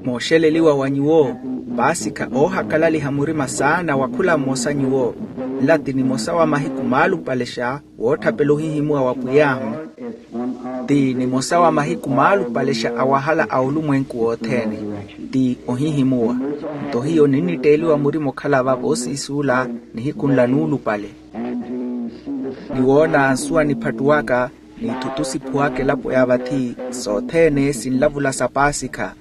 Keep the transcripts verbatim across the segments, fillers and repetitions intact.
Mooxeleliwa wa nyuwo, paasikha oohakalaliha murima saana wa khula mmosa nyuwo. Nla ti nimosa wa mahiku maalupalexa wootthapela ohihimuwa wa pwiy'ahu. Ti nimosa wa mahiku maalupalexa a wahala a olumwenku wothene. Ti ohihimuwa. Nto hiyo ninnitteeliwa murima okhala va voosiisuula nihiku nla nuulupale, ni woona nsuwa niphattuwaka, n'ithutu siphuwaka elapo ya vathi, sothene sinlavula sa paasikha.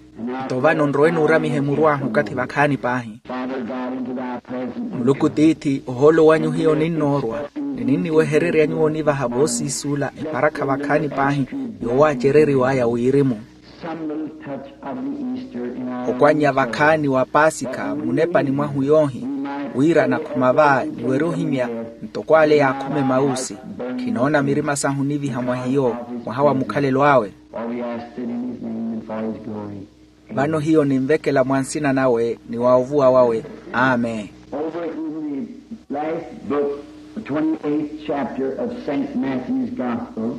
Nto vano nrowe nuuramihe muru ahu okathi vakhaani paahi. Muluku tiithi, ohoolo wanyu hiyo ninnoorwa, ni ninniwehererya nyuwo onivaha voosiisuula eparakha vakhaani paahi, yoowaacereriw'aya wirimu. Okwannya vakhaani wa paasikha munepani mwahu yoohi, wira nakhuma va niwerye ohimya, ntoko ale yaakhuma emausi. Khinoona mirima sahu oniviha mwa hiyo, mwaha wa mukhalelo awe. Vano hiyo ninvekela mwa nsina nawe ni wa ovuwa wawe. Amen. Over in the last book, the twenty-eighth chapter of Saint Matthew's Gospel.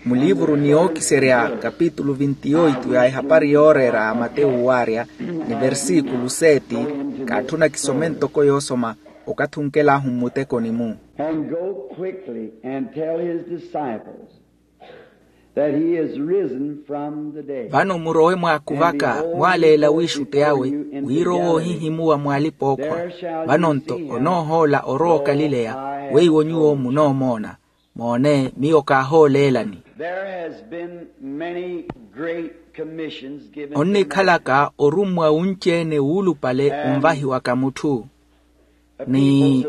Mulivuru ni yookiserya kapitulu vinti-oitu ya ehapari yooreera a matewu waarya, ni versikulu seti, kaatthuna kisome ntoko yoosoma, okathi onkel'ahu mmutekoni-mu. And go quickly and tell his disciples that he is risen from the dead. Vano murowe mwaakuvaka, mwaaleela wiixutti awe, wira owo ohihimuwa mwaalipa-ookhwa. Vano-nto onoohoola orowa okalileya, weiwo nyuwo munoomoona. Moone, miyo kaahooleelani. There has been many great commissions given to men. Onnikhalaka orummwa wunci-ene wuulupale onvahiwaka mutthu ni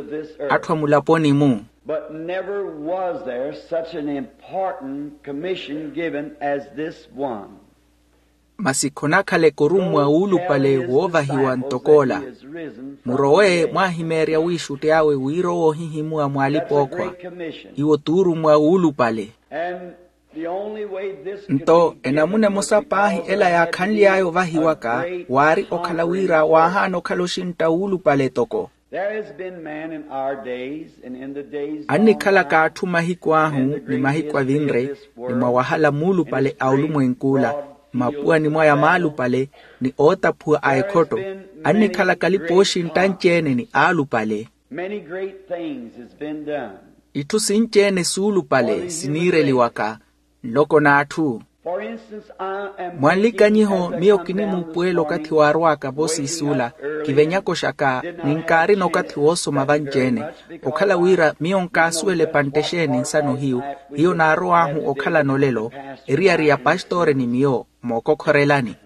atthu a mulaponi-mu. But never was there such an important commission given as this one. Masi khonakhaleke orummwa wuulupale woovahiwa ntok'ola. Murowe mwaahimeerya wiixutti awe wira owo ohihimuwa mwaalipa-ookhwa. Iwo t'urummwa wuulupale. Nto enamuna emosa paahi ela yaakhanly'aya ovahiwaka, waari okhala wira waahaana okhala oxintta wuulupale toko. Annikhalaka atthu mahiku ahu ni mahiku avinre, ni mwa wahala muulupale a olumwenk'ula, mmapuwani mwaya maalupale, ni ootaphuwa a ekhotto. Annikhalaka alipa ooxintta anci-ene ni aalupale. Itthu sinci-ene suulupale siniireliwaka nloko n'atthu. Mwa nlikanyiho, miyo kinimuupuwela okathi waarw'aka voosiisuula, kivenyaka oxaka, ni nkaarina okathi woosoma vanci-ene. Okhala wira miyo nkaasuwela epantte exeeni nsano hiyu, hiyo naarow'ahu okhalana olelo, eriyari ya pastore ni miyo mookokhorelani.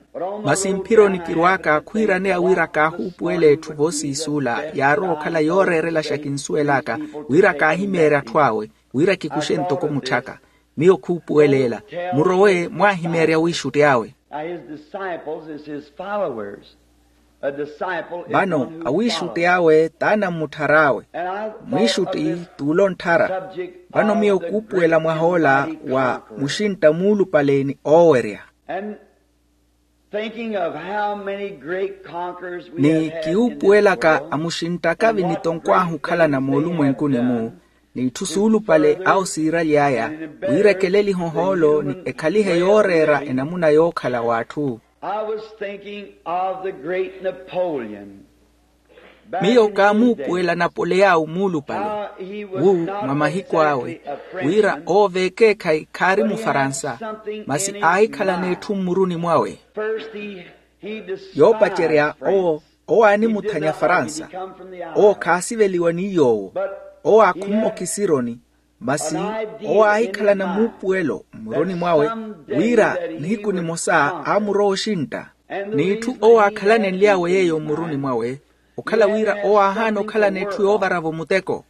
Masi mphironi kirw'aka khwiiraneya wira kaahuupuwela etthu voosiisuula yaarowa okhala yooreerelaxa kinsuwel'aka, wira kaahimeerye atthu awe, wira kikuxe ntoko mutthaka. Miyo khuupuwela ela. Murowe mwaahimeerya wiixutti awe. Vano awiixutti awe t'anammutthara awe. Mwiixutti t'ule ontthara. Vano miyo khuupuwela mwah'ola wa muxintta muulupale ni oowerya. Ni kiwuupuwelaka amuxinttaka vinitonkwahu okhalana moolumwenkuni-mu, n'itthu suulupale awo siiraly'aya, wira ekelelihe ohoolo ni ekhalihe yooreera enamuna yookhala w'atthu. Miyo kaamuupuwela napoleyawu muulupale wu mwa mahiku awe, wira owo v'ekeekhayi khaari mufaransa, masi aahikhalana etthu mmuruni mwawe. Yoopacerya owo, owo aanimuthanya faransa. Owo khaasiveliwa ni yoowo. Owo aakhumme okisironi. Masi owo aahikhalana muupuwelo mmuruni mwawe, wira nihiku nimosa aamurowa oxintta. N'itthu owo aakhalanenly'awe yeeyo mmuruni mwawe, okhala wira owo aahaana okhalana etthu yoovaravo muteko.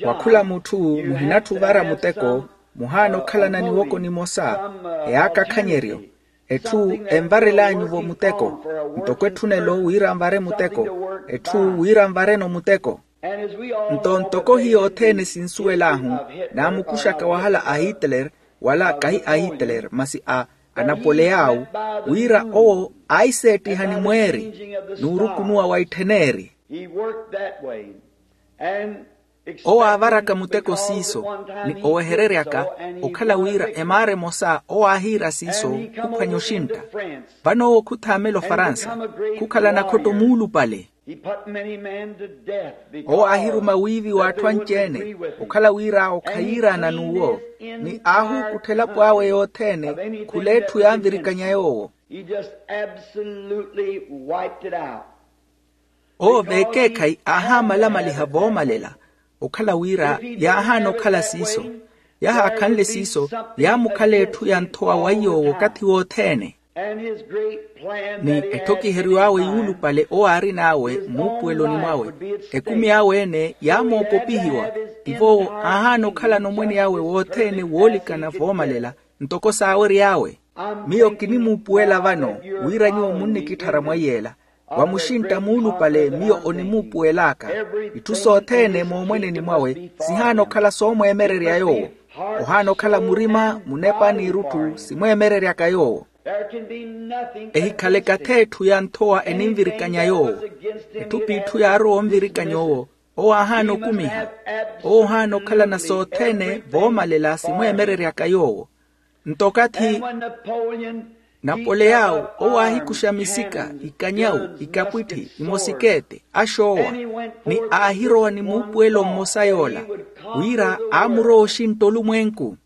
Wa khula mutthu muhinatthi ovara muteko, muhaana okhalana niwoko nimosa eyaakakhanyeryo. Etthu envarel'anyu-vo muteko, ntoko etthunelo wira nvare muteko, etthu wira nvare-no muteko. Nto ntoko hiyo othene sinsuwel'ahu, naamukuxaka wahala a hitler, wala kahi a hitler masi a anapoleyawu, wira owo aiseettiha ni mweeri n'urukunuwa wa itthen'eri. Owo aavaraka muteko siiso, ni owehereryaka okhala wira emaara emosa owo aahiira siiso khuphwanya oxintta. Vano owo khuthaamela ofaransa, khukhala nakhotto muulupale. Owo aahiruma wiiviwa atthu anci-ene, okhala wira awo khayiiraana n'uwo, ni aahuukuttha elapo awe yothene khula etthu yaanvirikanya yoowo. Owo veekeekhayi aahamalamaliha voomalela, okhala wira yaahaana okhala siiso. Yahaakhanle siiso, yaamukhala etthu ya nthowa waiy'owo okathi wothene. Ni etthokiheriw'awe yuulupale owo aarin'awe muupuweloni mwawe, ekumi awe-ene yaamoopopihiwa. Tivo owo aahaana okhalana omwene awe wothene woolikana voomalela, ntoko saawery'awe. Miyo kinimuupuwela vano, wira nyuwo munnikitthara mwaiy'ela. Wa muxintta muulupale miyo onimuupuwel'aka. Itthu sothene moomweneni mwawe sihaana okhala soomweemererya yoowo. Ohaana okhala murima, munepa n'irutthu simweemereryaka yoowo. Ehikhaleke ath'etthu ya nthowa eninvirikanya yoowo. Etthu p'itthu yaarowa onvirikanya owo, owo aahaana okumiha. Owo ohaana okhalana sothene voomalela simweemereryaka yoowo. Nto okathi napoleyawu owo aahikuxa misika, ikanyawu, ikapwitthi, imosikeete, axoowa, ni aahirowa ni muupuwelo mmosa yoola, wira aamurowa oxintta olumwenku.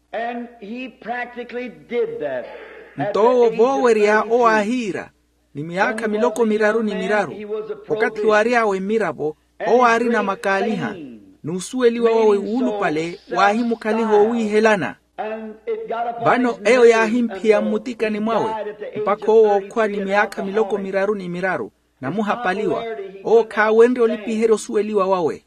Nto owo voowerya owo aahiira, ni miyaakha miloko miraru ni miraru, okathi waary'awe mmiravo, owo aarina makaaliha, n'usuweliwa wawe wuulupale waahimukhaliha owiihelana. Vano eyo yaahimphiya mmutikani mwawe, mpakha owo ookhwa ni miyaakha miloko miraru ni miraru, namuhapaliwa. Owo khaawenrye olipiherya osuweliwa wawe.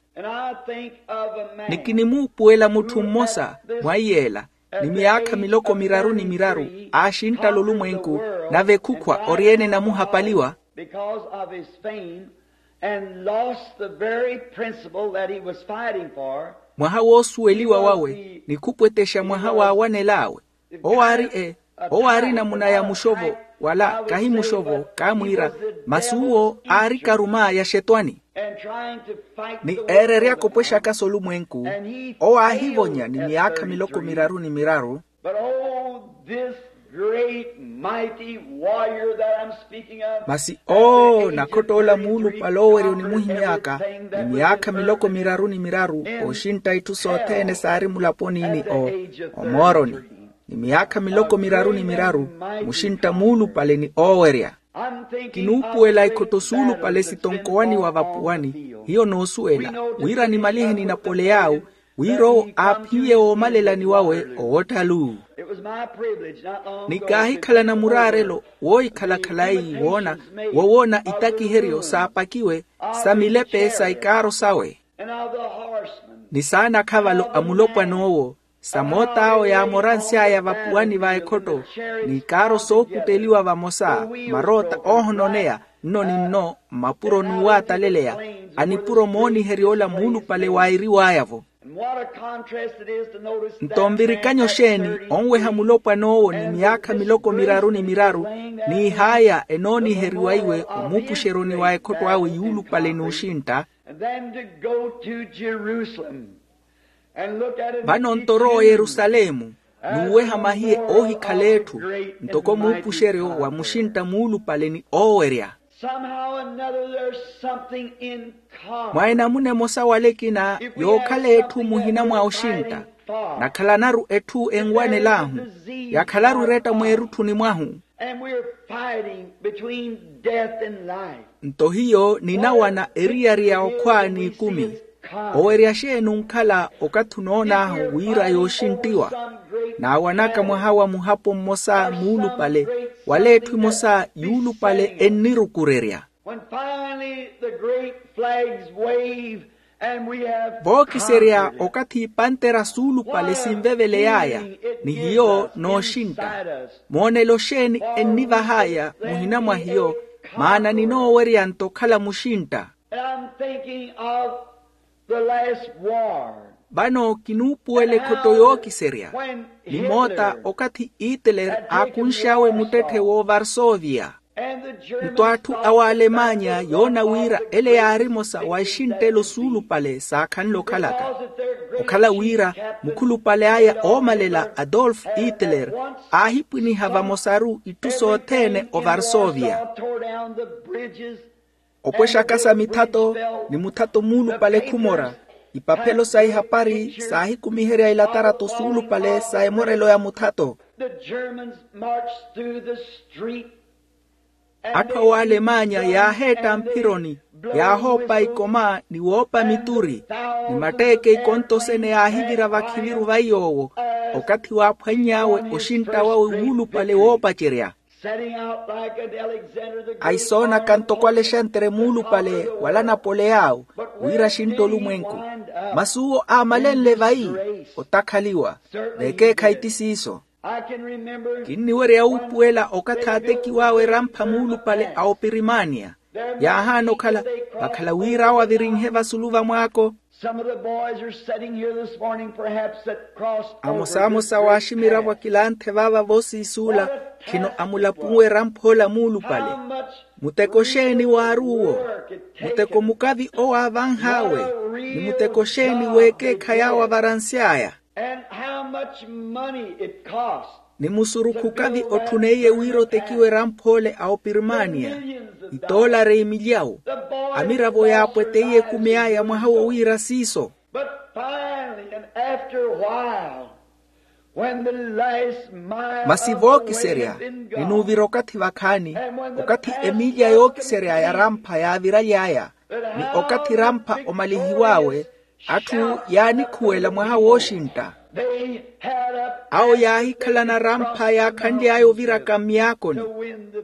Ni kinimuupuwela mutthu mmosa mwaiy'ela, ni miyaakha miloko miraru ni miraru, aaxinttala olumwenku, nave khukhwa ori-ene namuhapaliwa. Mwaha woosuweliwa wawe ni khupwetexa mwaha waawanel'awe. Owo aari e owo aari namuna ya muxovo, wala kahi muxovo kaamwiira, masi uwo aari karuma ya xetwani. Ni eereryaka opwexaka s'olumwenku, owo aahivonya ni miyaakha miloko miraru ni miraru. Masi oo nakhott'ola muulupale oowerya onimuhimy'aka, ni miyaakha miloko miraru ni miraru, ooxintta itthu sothene saari mulaponi ni o omooroni, ni miyaakha miloko miraru ni miraru, muxintta muulupale ni oowerya. Kinuupuwela ikhotto suulupale sitonkowaniwa vapuwani. Hiyo noosuwela wira nimalihe ni napoleyawu, wira owo aaphiye woomalelani wawe owotthalu. Ni kaahikhalana muraarelo woohikhala khalayi woona wowoona itakiheryo saapakiwe sa milepe sa ikaaro sawe, ni saana akhavalo a mulopwan'owo, sa moot'awo yaamoransy'aya vapuwani va ekhotto, ni ikaaro sookutteliwa vamosa, maroota oohononeya nno ni nno mmapuro n'uwaataleleya, a nipuro mooniherya ola muulupale waairiw'aya-vo. Nto nvirikanyo xeeni onweha mulopwan'owo ni miyaakha miloko miraru ni miraru, n'ihaya enooniheriwa iwe omuupuxeryoni wa ekhotto awe yuulupale n'uxintta. Vano nto orowa oyerusalemu, n'uweha mahiye oohikhala etthu, ntoko muupuxeryo wa muxintta muulupale ni oowerya. Mwa enamuna emosa wala ekina yookhala etthu muhina mwa oxintta, nakhalanaru etthu enwanel'ahu, yakhalaru eretta mweerutthuni mwahu. Nto hiyo ninawana eriyari ya okhwa n'ikumi. Owerya xeeni onkhala okathi onoon'ahu wira yooxinttiwa? Naawanaka mwaha wa muhapo mmosa muulupale, wala etthu emosa yuulupale ennirukurerya. Vookiserya okathi ipantera suulupale sinveveley'aya, ni hiyo nooxintta, moonelo xeeni ennivah'aya muhina mwa hiyo? Maana ninoowerya nto okhala muxintta. Vano kinuupuwela ekhotto yookiserya, ni moota okathi hitler aakunx'awe muttetthe w'ovarsoviya. Nto atthu a w'alemanya yoona wira ele yaari emosa wa ixinttelo suulupale saakhanle okhalaka, okhala wira mukhulupale aya oomalela adolf hitler aahipwiniha vamosaru itthu sothene ovarsovia. Opwexaka sa mithato ni muthato muulupale khumora, ipaphelo sa ihapari saahikumiherya ilatarato suulupale sa emorelo ya muthato. Atthu a w'alemanya yaaheetta mphironi, yaahoopa ikoma ni woopa mituri, ni matteeke ikonto sene yaahivira vakhiviru va iy'owo. Okathi waaphwanny'awe oxintta wawe wuulupale woopacerya, aisoonaka ntoko alexandre muulupale wala napoleao, wira axintta olumwenku. Masi uwo aamalenle vayi otakhaliwa. Veekeekhayi ti siiso. Kinniwerya wuupuwela okathi aatekiw'awe erampha muulupale a opirimania, yaahaana okhala vakhala wira awo avirinhe vasulu vamwaako. Amosaamosa w'aximiravo akilanthe vaava voosiisuula khino amulapuwe erampha ola muulupale. Muteko xeeni waari uwo? Muteko mukavi owo aavanh'awe? Ni muteko xeeni w'ekeekhayi awo avaransy'aya? Ni musurukhu kavi otthuneiye wira otekiwe eramphoole a opirimania, itoolari imilyawu. Amiravo yaapweteiye ekumi aya mwaha wo wira siiso. Masi vookiserya, ni nuuvira okathi vakhaani, okathi emilya yookiserya ya rampha yaaviraly'aya, ni okathi rampha omalihiw'awe, atthu yaanikhuwela mwaha wooxintta. Awo yaahikhalana rampha yaakhanly'aya oviraka mmiyaakoni,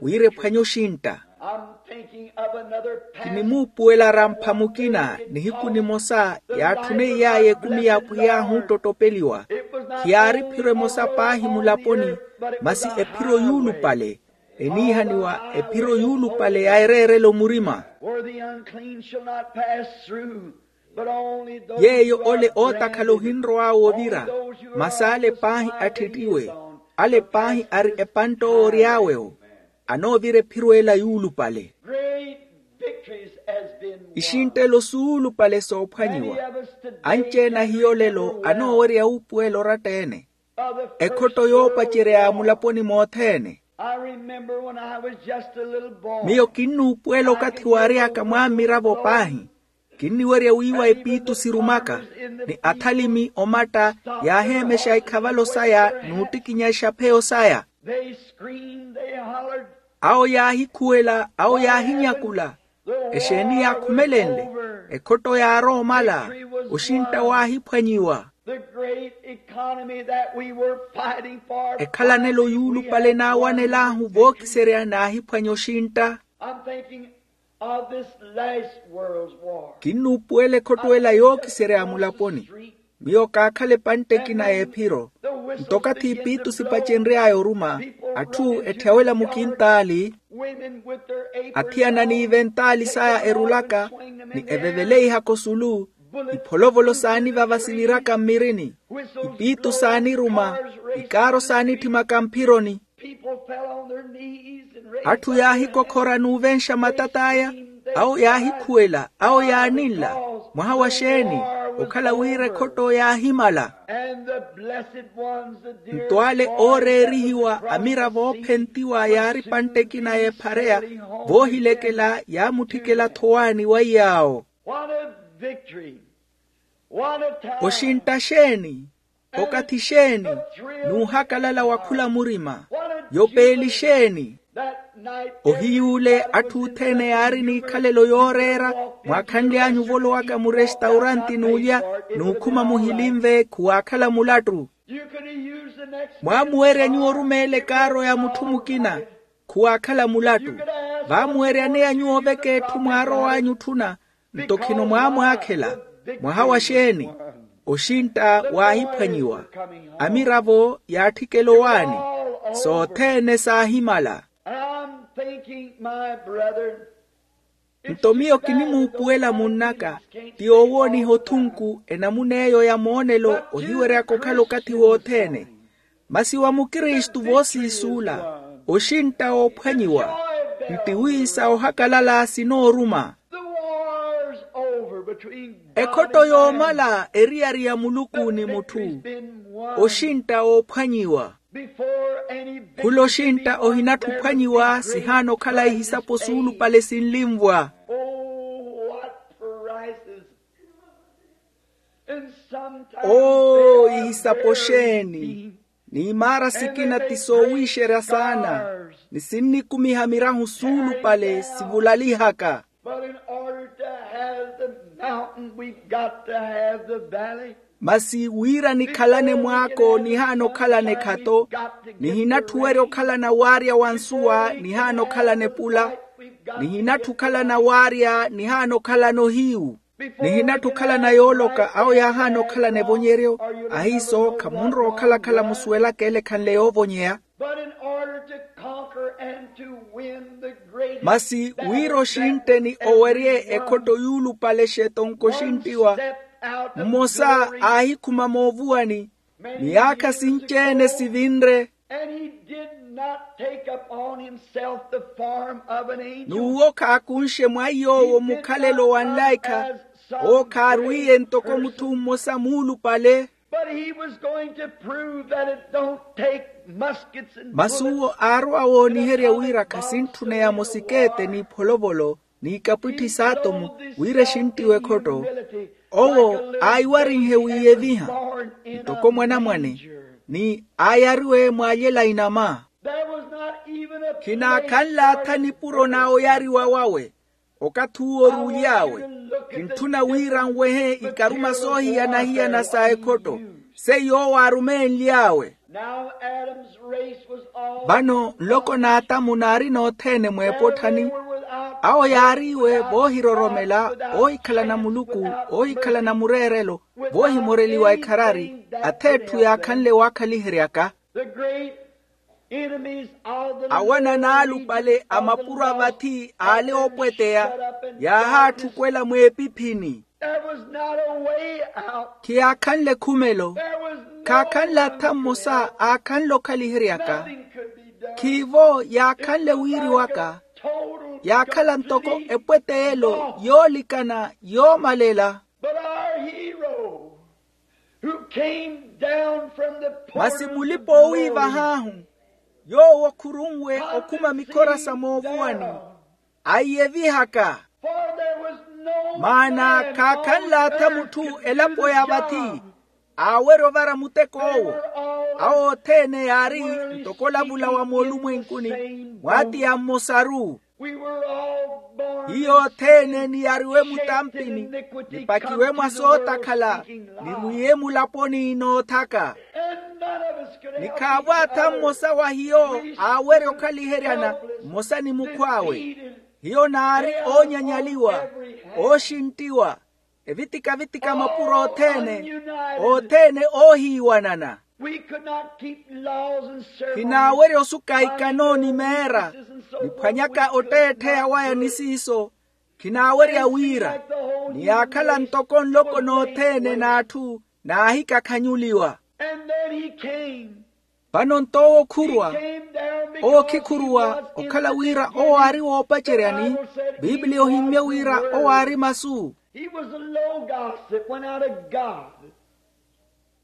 wira ephwanye oxintta. Kinimuupuwela rampha mukina nihiku nimosa yaatthuneiyaye ekumi ya apwiy'ahu ottottopeliwa. Khiyaari ephiro emosa paahi mulaponi, masi ephiro yuulupale, eniihaniwa ephiro yuulupale ya ereerelo murima. Yeeyo ole ootakhala ohinrow'awe ovira, masi ale paahi atthittiwe, ale paahi ari epantte owo ory'awe-wo, anoovira ephiro ela yuulupale. Ixinttelo suulupale soophwanyiwa. Anci-ene ahiyo olelo anoowerya wuupuwela oratta-ene, ekhotto yoopacerya ya mulaponi mothene. Miyo kinnuupuwela okathi waary'aka mwammiravo paahi, kinniwerya wiiwa epiitu sirumaka, ni athalimi omatta yaaheemexa ikhavalo saya n'uttikinya exapheyo saya. Awo yaahikhuwela, awo yaahinyakula. Exeeni yaakhumelenle? Ekhotto yaarowa omala. Oxintta waahiphwanyiwa. Ekhalanelo yuulupale naawanel'ahu vookiserya naahiphwanya oxintta. Kinnuupuwela ekhotto ela yookiserya ya mulaponi. Miyo kaakhala epantte ekina y'ephiro. Nto okathi ipiitu sipacenry'aya oruma, atthu etthawela mukintaali, athiyana n'iventaali saya erulaka, ni eveveleiha kosulu, ipholovolo saanivava siviraka mmirini, ipiitu saaniruma, ikaaro saanitthimaka mphironi. Atthu yaahikokhora n'uvenxa matat'aya. Awo yaahikhuwela, awo yaaninla. Mwaha wa xeeni? Okhala wira ekhotto yaahimala. Nto ale ooreerihiwa amiravo oophentiwa yaari epantte ekina y'ephareya, voohilekela yaamutthikela thowaani wa iy'awo. Oxintta xeeni? Okathi xeeni? N'uhakalala wa khula murima. Yopeeli xeeni? Ohiy'ule atthu othene yaari n'ikhalelo yooreera, mwaakhanly'anyu ovolowaka murestauranti n'ulya, n'ukhuma muhilinve khuwaakhala mulattu. Mwaamuweerya nyuwo orumeela ekaaro ya mutthu mukina, khuwaakhala mulattu. Vaamuweeryaneya nyuwo oveka etthu mwaarow'anyu otthuna, nto khino mwaamwaakhela. Mwaha wa xeeni? Oxintta waahiphwanyiwa. Amiravo yaatthikela owaani, sothene saahimala. Nto miyo kinimuupuwela munn'aka, ti oowooniha othunku enamuna eyo ya moonelo ohiweryaka okhala okathi wothene. Masi wa mukristu voosiisuula, oxintta woophwanyiwa. Ntiwi sa ohakalala sinooruma. Ekhotto yoomala eriyari ya muluku ni mutthu. Oxintta oophwanyiwa. Khula oxintta ohinatthi ophwanyiwa sihaana okhala ihisapo suulupale sinlinvwa. Oo ihisapo xeeni. N'imaara sikina ti soowiixerya saana. Ni sinnikumiha mirahu suulupale sivulalihaka. Masi wira nikhalane mwaako nihaana okhalana ekhato. Nihinatthi owerya okhalana waarya wa nsuwa nihaana okhalana epula. Nihinatthi okhalana waarya nihaana okhalana ohiyu. Nihinatthi okhalana yooloka awo yaahaana okhalana evonyeryo. Ahiiso khamunrowa okhalakhala musuwelaka ele ekhanle yoovonyeya. Masi wira oxintte ni owerye ekhotto yuulupale xetonko xinttiwa. Mmosa aahikhuma moovuwani ni yaakha sinci-ene sivinre. N'uwo khaakunxe mwa iy'owo mukhalelo wa nlaikha. Owo khaarwiye ntoko mutthu mmosa muulupale. Masi uwo aarowa wooniherya wira khasintthuneya mosikeete n'ipholovolo n'ikapwitthi s'atomu wira exinttiwe ekhotto. Owo aayiwarinhe wiiyeviha ntoko mwanamwane ni aayariwe mwaalyela inama. Khinaakhanlaatha nipuro na oyariwa wawe. Okathi uwo oruuly'awe kintthuna wira nwehe ikaruma soohiyana-hiyana sa ekhotto seiyo owo aarumenly'awe. Vano nloko n'atamu naari nothene mw'epotthani. Awo yaariiwe voohiroromela, oohikhalana muluku, oohikhalana mureerelo, voohimoreliwa ekharari, ath'etthu yaakhanle waakhaliheryaka. Awanana alupale a mapuro a vathi aale oopweteya yaahaatthukwela mw'epiphini. Khiyaakhanle khumelo. Khaakhanle atha mmosa aakhanle okhaliheryaka. Khiivo yaakhanle wiiriwaka. Yaakhala ntoko epweteyelo yoolikana yoomalela. Masi mulipa-oowiivah'ahu yoowo khurunwe okhuma mikhora sa moovuwani aiyevihaka. Maana khaakhanlaatha mutthu elapo ya vathi aawerya ovara muteko owo. Awo othene yaari ntoko olavula wa moolumwenkuni mwaatiya mmosaru. Hiyo othene niyariwe mutampini, nipakiwe mwa sootakhala, nirwiye mulaponi noothaka. Ni khaavo atha mmosa wa hiyo aawerya okhaliheryana mmosa ni mukhw'awe. Hiyo naari oonyanyaliwa, ooxinttiwa, evitika-vitika mapuro othene, othene oohiiwanana. Khinaawerya osuka ikano ni meera niphwanyaka otteettheya waya ni siiso. Khinaawerya wira niyaakhala ntoko nloko nothene n'atthu naahikakhanyuliwa. Vano nto owo khurwa, owo khikhuruwa okhala wira owo aari woopaceryani. Pipiliya ohimmye wira owo aari masu.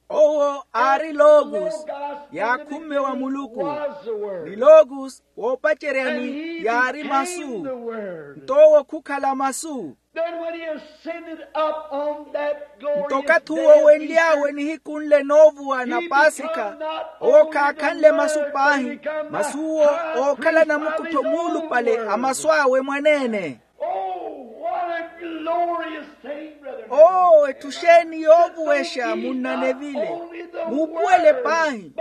Owo aari logos yaakhumme wa muluku. Ni logos woopaceryani yaari masu. Nto owo khukhala masu. Nto okathi uwo wenly'awe nihiku nle noovuwa na paasikha, owo khaakhanle masu paahi. Masi uwo ookhala namukuttho muulupale a masu awe mwaneene. Oo etthu xeeni yoovuwexa munnanevile. Muupuwele paahi.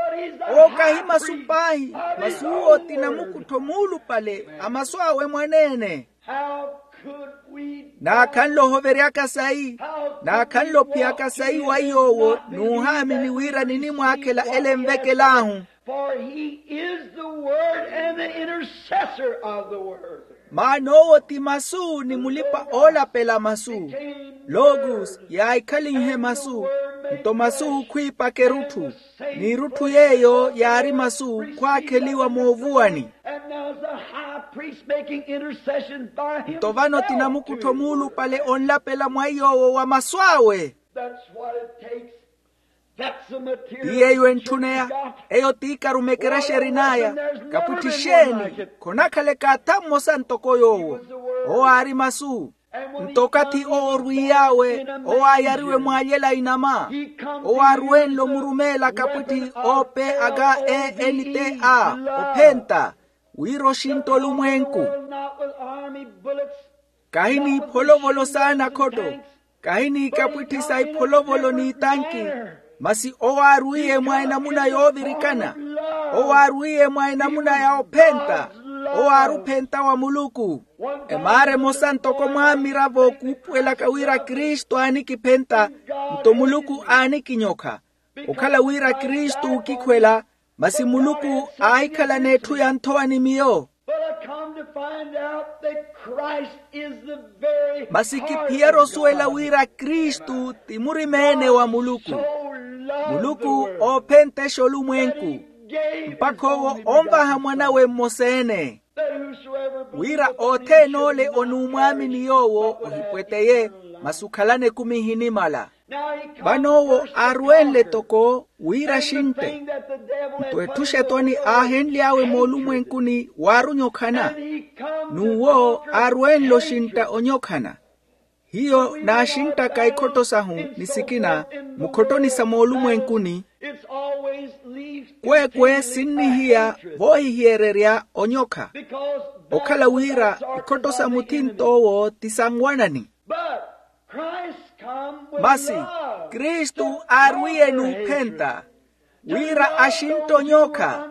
Owo kahi masu paahi. Masi uwo ti namukuttho muulupale a masu awe mwaneene. Naakhanle ohoveryaka sayi? Naakhanle ophiyaka sayi wa iy'owo n'uhaamini wira ninimwaakhela ele envekel'ahu? For he is the word and the intercessor of the word. Maana owo ti masu ni mulipa oolapela masu. Logos yaahikhalinhe masu. Nto masu khwiipaka erutthu. N'irutthu yeeyo yaari masu khwaakheliwa moovuwani. And now the high Priest making intercession by himself. Nto vano ti namukuttho muulupale onlapela mwa iy'owo wa masu awe. That's what it takes. That's the material. Ti yeeyo entthuneya. Eyo t'ikarumekerexa erin'aya. Kapwitti xeeni? Khonakhaleka atha mmosa ntoko yoowo. Owo aari masu. Nto okathi oorwiy'awe owo aayariwe mwaalyela inama. Owo aaruwenle omurumeela kapwitti, ope aka e n t a, ophenta wira oxintta olumwenku. Kahi n'ipholovolos'ana khotto, kahi n'ikapwitthi sa ipholovolo n'itanki. Masi owo aarwiye mwa enamuna yoovirikana. Owo aarwiye mwa enamuna ya ophenta. Owo aari ophenta wa muluku. Emaara emosa ntoko mwaamiravo kuupuwelaka wira kristu aanikiphenta, nto muluku aanikinyokha. Okhala wira kristu ookikhwela, masi muluku aahikhalana etthu ya nthowa ni miyo. But I come to find out that Christ is the very masi kiphiyari osuwela wira kristu ti murimeene wa muluku. Muluku oophenttexa olumwenku mpakha owo onvaha mwanawe mmosa-ene, wira othene ole onuumwaamini yoowo ohipweteye, masi okhalana ekumi ihinimala. Vano owo aaruwenle toko wira axintte. Nto etthu xetwani aahenly'awe moolumwenkuni waari onyokhana. N'uwo aaruwenle oxintta onyokhana. Hiyo naaxinttaka ikhotto sahu ni sikina mukhottoni sa moolumwenkuni. Kweekwe sinnihiya voohihiyeererya onyokha, okhala wira ikhotto sa muthint'owo ti sa nwanani. Masi kristu aarwiye n'uphenta, wira axintte onyokha,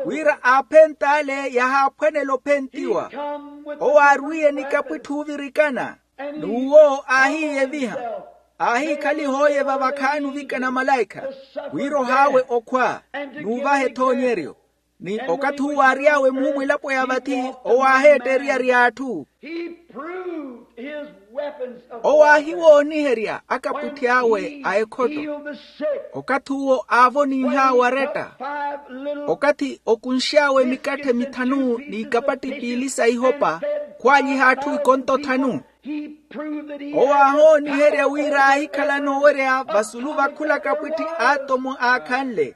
wira aaphent'ale yahaaphwanela ophentiwa. Owo aarwiye ni kapwitthu oovirikana, n'uwo aahiiyeviha, aahiikhaliha ooyeva vakhaani ovikana malaikha, wira ohaawe okhwa n'uvaha ethoonyeryo. Ni okathi uwo aary'awe muumwilapo ya vathi, owo aaheetta eriyari y'atthu. Owo aahiwooniherya akapwitti awe a ekhotto. Okathi uwo aavoninh'awe aretta, okathi okunx'awe mikatthe mithanu n'ikapatti piili sa ihopa, khwaalyiha atthu ikonto thanu. Owo aahooniherya wira aahikhalana owerya vasulu va khula kapwitti aatomo aakhanle.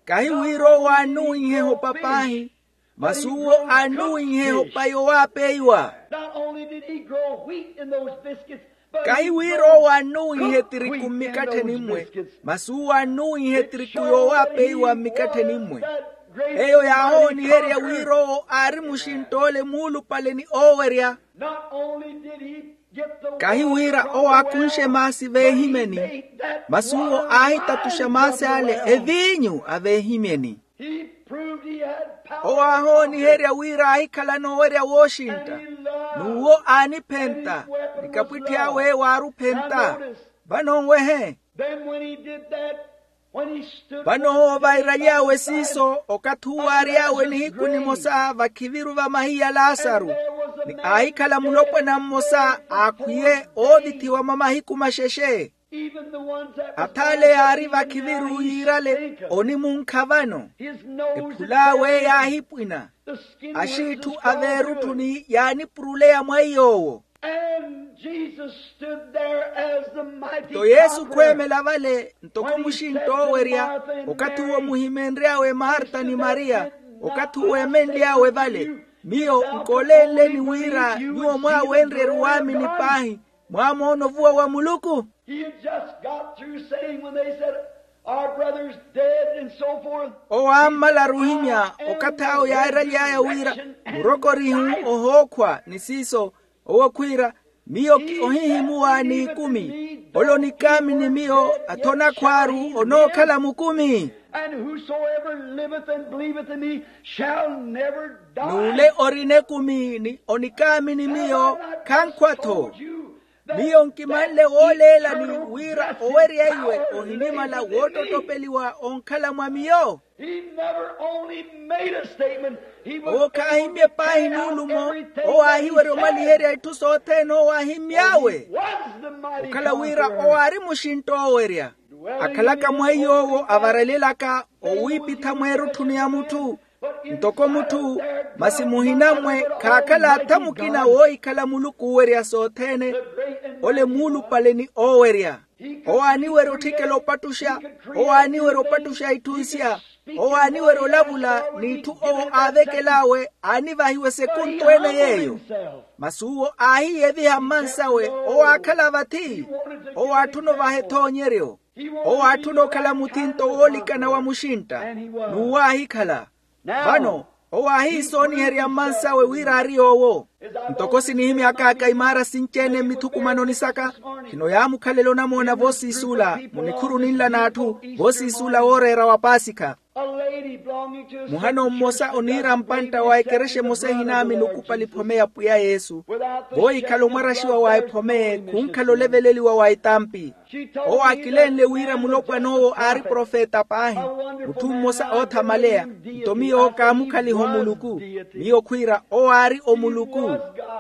Kahi wira owo aannuwinhe ehopa paahi, masi uwo aannuwinhe ehopa yowaapeiwa. Kahi wira owo aannuwinhe etiriku mmikattheni mmwe, masi uwo aannuwinhe etiriku yowaapeiwa mmikattheni mmwe. Eyo yaahooniherya wira owo aari muxintt'ole muulupale ni oowerya. Kahi wira owo aakunxe maasi veehimyeni, masi uwo aahitatuxa maasi ale eviinyu a veehimyeni. Owo aahooniherya wira aahikhalana owerya wooxintta, n'uwo aaniphenta, ni kapwitthi awe waari ophenta. Vano nwehe. Vano owo vairaly'awe siiso, okathi uwo aary'awe nihiku nimosa vakhiviru va mahiya laasaru, ni aahikhala mulopwana mmosa aakhwiye oovithiwa mwa mahiku maxexe. Ath'ale yaari vakhiviru yiirale onimunkha vano. Ephul'awe yaahipwina, axiitthu a veerutthuni yaanipuruleya mwa iy'owo. Nto yesu khweemela vale ntoko muxintt'owerya, okathi uwo muhimenry'awe marta ni mariya, okathi uwo emenly'awe vale, miyo nkoolenleni wira nyuwo mwaawenrye eruwaamini paahi, mwaamoona ovuwa wa muluku. He had just got through saying when they said, our brother's dead and so forth. Owo aammalaru ohimya okathi awo yaaraly'aya wira murokorihu ohookhwa ni siiso. Owo khwiira, miyo ki ohihimuwa n'ikumi. Ole onikaamini miyo athonakhwaaru onookhala mukumi. And whosoever liveth and believeth in me shall never die. N'ule orina ekumi ni onikaamini miyo khankhwa-tho. Miyo nkimanle wooleelani wira owerya iwe ohinimala woottottopeliwa onkhala mwa miyo. Owo khaahimye paahi nuulumo. Owo aahiwerya omaliherya itthu sothene owo aahimmy'awe. Okhala wira owo aari muxintt'owerya, akhalaka mwa iy'owo avaralyelaka owiipitha mweerutthuni ya mutthu. Ntoko mutthu, masi muhina-mwe khaakhala atha mukina woohikhala muluku oowerya sothene. Ole muulupale ni oowerya. Owo aaniwerya otthikela opattuxa. Owo aaniwerya opattuxa itthu nsya. Owo aaniwerya olavula, n'itthu owo aavekel'awe aanivahiwa esekuntu ene yeeyo. Masi uwo aahiyeviha mmansawe. Owo aakhala vathi. Owo aatthuna ovaha ethoonyeryo. Owo aatthuna okhala muthinto woolikana wa muxintta. N'uwo aahikhala. Vano, owo aahiisooniherya mmansawe wira aari yoowo. Ntoko sinihimyak'aka imaara sinci-ene mmithukumanoni saka, khino yaamukhalela onamoona voosiisuula munikhuru ninla n'atthu. Voosiisuula wooreera wa paasikha. Muhano mmosa oniira mpantta wa ekerexa emosa ehinaamini okupali phome ya pwiya yesu. Voohikhala omwaraxiwa wa ephome, khunkhala oleveleliwa wa etampi. Owo aakilenle wira mulopwan'owo aari profeta paahi, mutthu mmosa oothamaleya. Nto miyo kaamukhaliha omuluku. Miyo khwiira owo aari omuluku.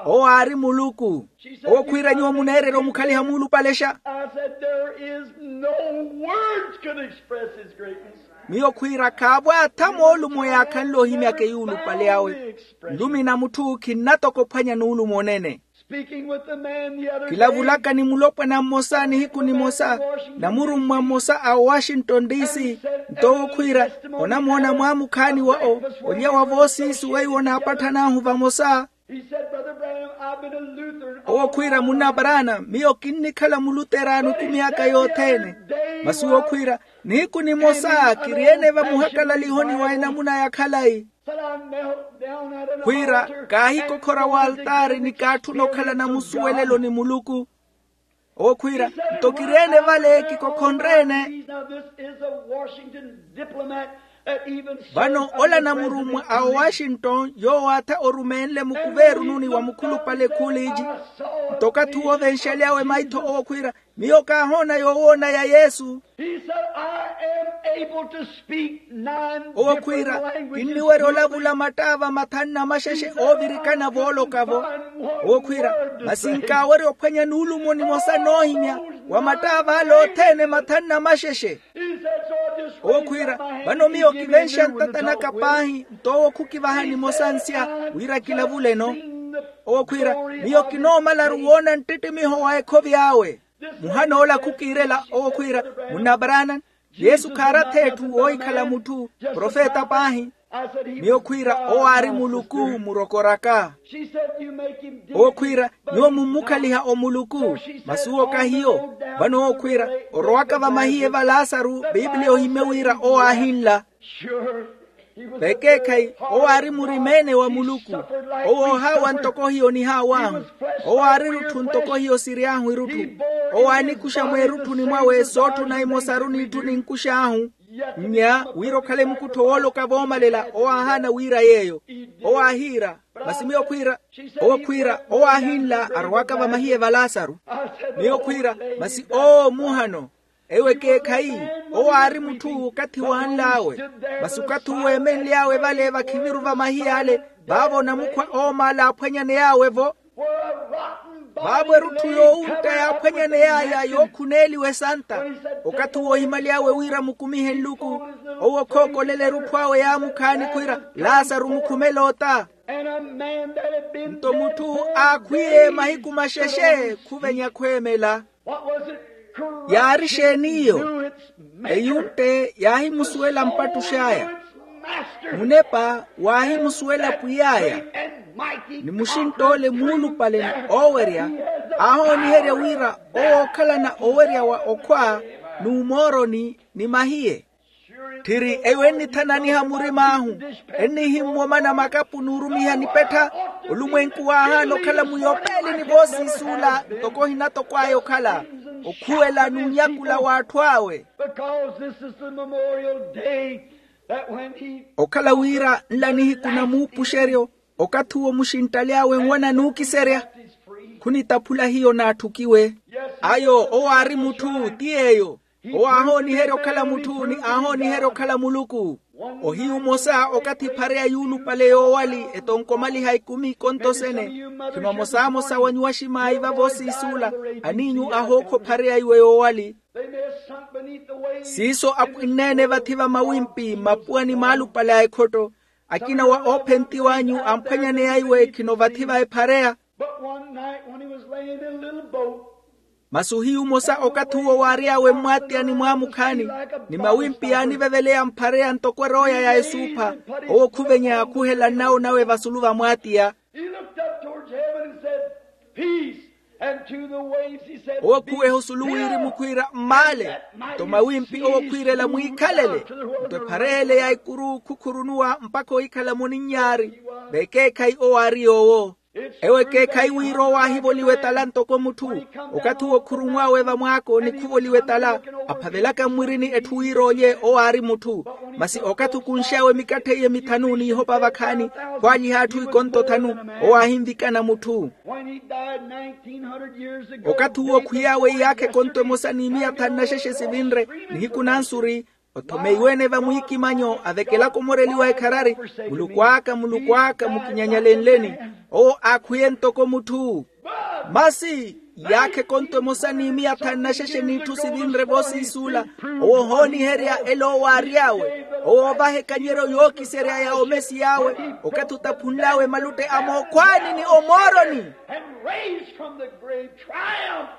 Owo aari muluku. Owo khwiira nyuwo muneererya omukhaliha muulupalexa. I said, there is no words could express his greatness. Miyo khwiira khaavo atha moolumo yaakhanle ohimyaka eyuulupale awe. Nlumi na mutthu khinnatoka ophwanya nuulumo onene. Speaking with the man the other day. Kilavulaka ni mulopwana mmosa nihiku nimosa, namurummwa mmosa a owashington DC. Nto owo khwiira, onamoona mwaamukhaani wa'o, olya wa voosiisi weiwo naapatthanahu vamosa. He said, brother Branham, I've been a Lutheran. Owo khwiira munna brana, miyo kinnikhala muluteraano ku myaka yothene. Masi owo khwiira, nihiku nimosa kiriene vamuhakalalihoni wa enamuna ya khalayi. Khwiira, kaahikokhora w'altaari ni kaatthuna okhala namusuwelelo ni muluku. Owo khwiira, nto kiriene vale kikokhonreene. Vano ola namurummwa a owashington yoowo atha orumeenle mukuveerununi wa mukhulupale khuliiji. Nto okathi uwo venxaly'awe maitho owo khwiira, miyo kaahoona yoowoona ya yesu. He said, I am able to speak nine. Owo khwiira, kinniwerya olavula mattaava mathanu na maxexe oovirikana vooloka-vo. Owo khwiira, masi nkaawerya ophwanya nuulumo nimosa noohimya wa mattaava ale othene mathanu na maxexe. Owo khwiira, vano miyo kivenxa ntata naka paahi nto owo khukivaha nimosa nsya wira kilavuleno. Owo khwiira, miyo kinoomalaru woona nttittimiho wa ekhovi awe. Muhana ola khukiirela owo khwiira, munna branham, yesu khaarathi etthu woohikhala mutthu, profeta paahi. Miyo khwiira owo aari muluku murokoraka. Owo khwiira, nyuwo mummukhaliha omuluku. Masi owo kahiyo. Vano owo khwiira, orowaka vamahiye va lasaru, pipiliya ohimye wira owo aahinla. Vekeekhayi, owo aari murima-ene wa muluku. Owo oohaawa ntoko hiyo nihaawahu. Owo aari erutthu ntoko hiyo siry'ahu erutthu. Owo aanikuxa mweerutthuni mwawe sootthuna imosaru n'itthu ninkux'ahu. Nnya wira okhale mukuttho wooloka voomalela owo aahaana wira yeeyo. Owo aahiira, masi miyo khwiira. Owo khwiira owo aahinla arowaka vamahiye va lasaru. Miyo khwiira, masi oo muhano. Ewo ekeekhayi, owo aari mutthu okathi waanl'awe. Masi okathi uwo eemenly'awe vale vakhiviru vamahiye ale, vaavo onamukhwa oomaala aaphwanyaney'awe-vo. Vaavo erutthu yoowuntta yaaphwanyaney'aya yookhuneeliwa esanta. Okathi uwo ohimaly'awe wira mukumihe nluku, owo khookolela erutthu awe yaamukhaani khwiira, lasaru mukhumele ota. Nto mutthu aakhwiye mahiku maxexe khuvenya khweemela. Yaari exeen'iyo? Eyuntte yaahimusuwela mpattux'aya. Munepa waahimusuwela pwiy'aya. Ni muxintt'ole muulupale ni oowerya, aahooniherya wira owo ookhalana owerya wa okhwa, n'umooroni ni mahiye. Tthiri eyo ennithananiha murim'ahu, ennihimmwa omana makapu n'urumiha nipettha. Olumwenku waahaana okhala muyopeeli ni voosiisuula ntoko ohinatokw'aya okhala, okhuwela n'unyakula w'atthu awe. Because this is the memorial day that when he. Okhala wira nla nihiku na muupuxeryo, okathi uwo muxinttali awe nwana n'ukiserya. Khunitaphula hiyo naatthukiwe. Ayo owo aari mutthu ti yeeyo. Owo aahooniherya okhala mutthu ni aahooniherya okhala muluku. Ohiyu omosa okathi ephareya yuulupale yoowali etonkomaliha ekumi kontosene. Khino amosamosa wa nyuwaximaayi vavo siisuula, aniinyu ahookha ophareya iwe yoowali. Siiso apwinn'ene vathi va mawimpi mmapuwa ni maalupale a ekhotto. Akina wa oophentiw'anyu amphwanyaneya iwe khino vathi va ephareya. But one night when he was laying in a little boat, masi ohiyu omosa okathi uwo waary'awe mmwaatiyani mwaamukhaani, ni mawimpi yaaniveveleya mphareya ntoko erooya ya esuupha, owo khuvenya khuhela nnawo nawe vasulu va mwaatiya. He looked up towards heaven and said, "Peace." And to the waves he said, owo khuweha osulu wirimu khwiira mmaale. Nto mawimpi owo khwiirela mwiikhalele. Nto ephareya ele ya ikuru khukhurunuwa mpakha ohikhala-mo ni nyaari. Vekeekhayi owo aari yoowo. Ewo ekeekhayi wira owo aahivoliwa etala ntoko mutthu. Okathi owo khurunw'awe vamwaako ni khuvoliwa etala, aphavelaka mmwirini etthu wira olye owo aari mutthu. Masi okathi okunx'awe mikatthe iye mithanu n'ihopa vakhaani, khwaalyiha atthu ikonto thanu, owo aahinvikana mutthu. When he died nineteen hundred years ago, okathi uwo khwiy'awe iyaakha ekonto emosa ni miya thanu na xexe sivinre, nihiku nansuri, othomeiwe-ene vamwiikimanyo avekelaka omoreliwa ekharari, "Muluku aka, Muluku aka, mukinyanyalenleni?" Owo aakhwiye ntoko mutthu. Masi iyaakha ekonto emosa ni miya thanu na xexe n'itthu sivinre voosiisuula, owo ohooniherya elo owo aary'awe, owo oovaha ekanyeryo yookiserya ya omesiy'awe, okathi otaphunl'awe malutte a mookhwaani ni omooroni. And raised from the grave triumph.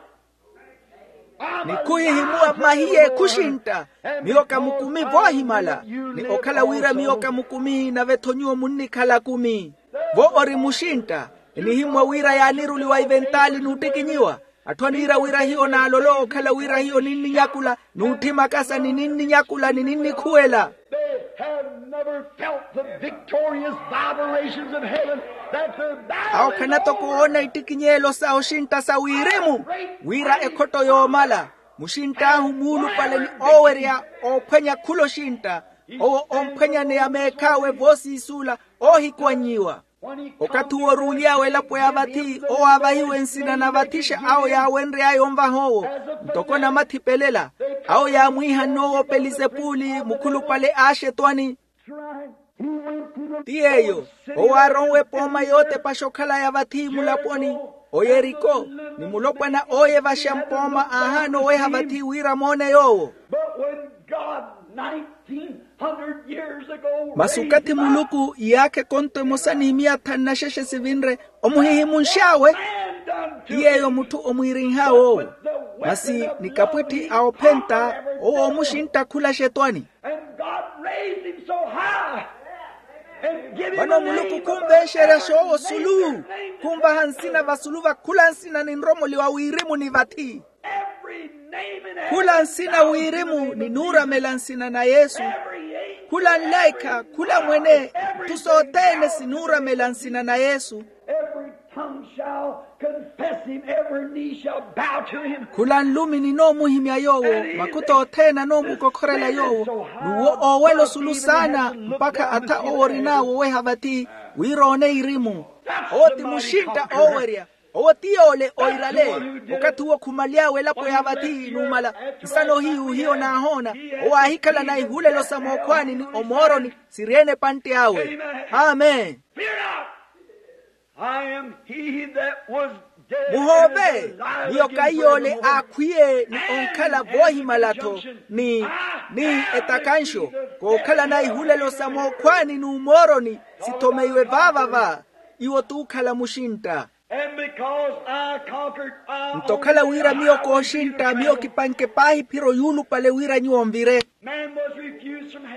Ni khuhihimuwa mmahiye khuxintta, miyo kamukumi voohimala, ni okhala wira miyo kamukumi nave-tho nyuwo munnikhala akumi. Vo ori muxintta, enihimmwa wira yaaniruliwa iventaali n'uttikinyiwa. Atthu aniira wira hiyo naalolo okhala wira hiyo ninninyakula, n'utthimakasa ni ninninyakula ni ninnikhuwela. They have never felt the victorious vibrations of heaven that the awo khanatoko oona ittikinyeelo sa oxintta sa wirimu, wira ekhotto yoomala, muxintt'ahu muulupale ni oowerya oophwanya khula oxintta, owo omphwanyaneya meekhaawe voosiisuula oohikuwannyiwa. Okathi owo oruuly'awe elapo ya vathi, owo aavahiwe nsina na vathixa awo yaawenry'aya onvaha owo, ntoko namathipelela, awo yaamwiihanne owo pelizepuli mukhulupale a axetwani. Ti yeeyo, owo aaronwe epooma yootepaxa okhalaya vathi mulaponi, oyeriko, ni mulopwana ooyevaxa mpooma aahaana oweha vathi wira moone yoowo. But when God nineteen hundred years ago, masi okathi muluku iyaakha ekonto emosa ni miya thanu na xexe sivinre, omuhihimunx'awe, ti yeeyo mutthu omwiirinh'awe owo. Masi ni kapwitthi a ophenta, owo omuxintta khula axetwani. And God raised him so high and give him a name above every name. Vano muluku khunvenxeryaxa owo osulu, khunvaha nsina vasulu va khula nsina ninromoliwa wirimu ni vathi. Khula nsina wirimu ninuuramela nsina na yesu. Khula nlaikha, khula mwene, itthu sothene sinuuramela nsina na yesu. Khula nlumi ninoomuhimya yoowo, makutha othene anoomukokhorela yoowo. N'uwo oowela osulu saana mpakha atha owo orin'awe oweha vathi, wira oone irimu. Owo ti muxintta oowerya. Owo ti yoole oirale. Okathi owo khumaly'awe elapo ya vathi numala, nsano hiyu hiyo naahoona, owo aahikhalana ihulelo sa mookhwaani ni omooroni, siri-ene epantte awe. Amen. Muhoove, miyo kahi yoole aakhwiye ni onkhala voohimala-tho, ni ni etakanxo, kookhalana ihulelo sa mookhwaani n'umooroni, sithomeiwe vaava-va. Iwo t'ukhala muxintta. Nto okhala wira miyo kooxintta, miyo kipanke paahi ephiro yuulupale wira nyuwo nvire.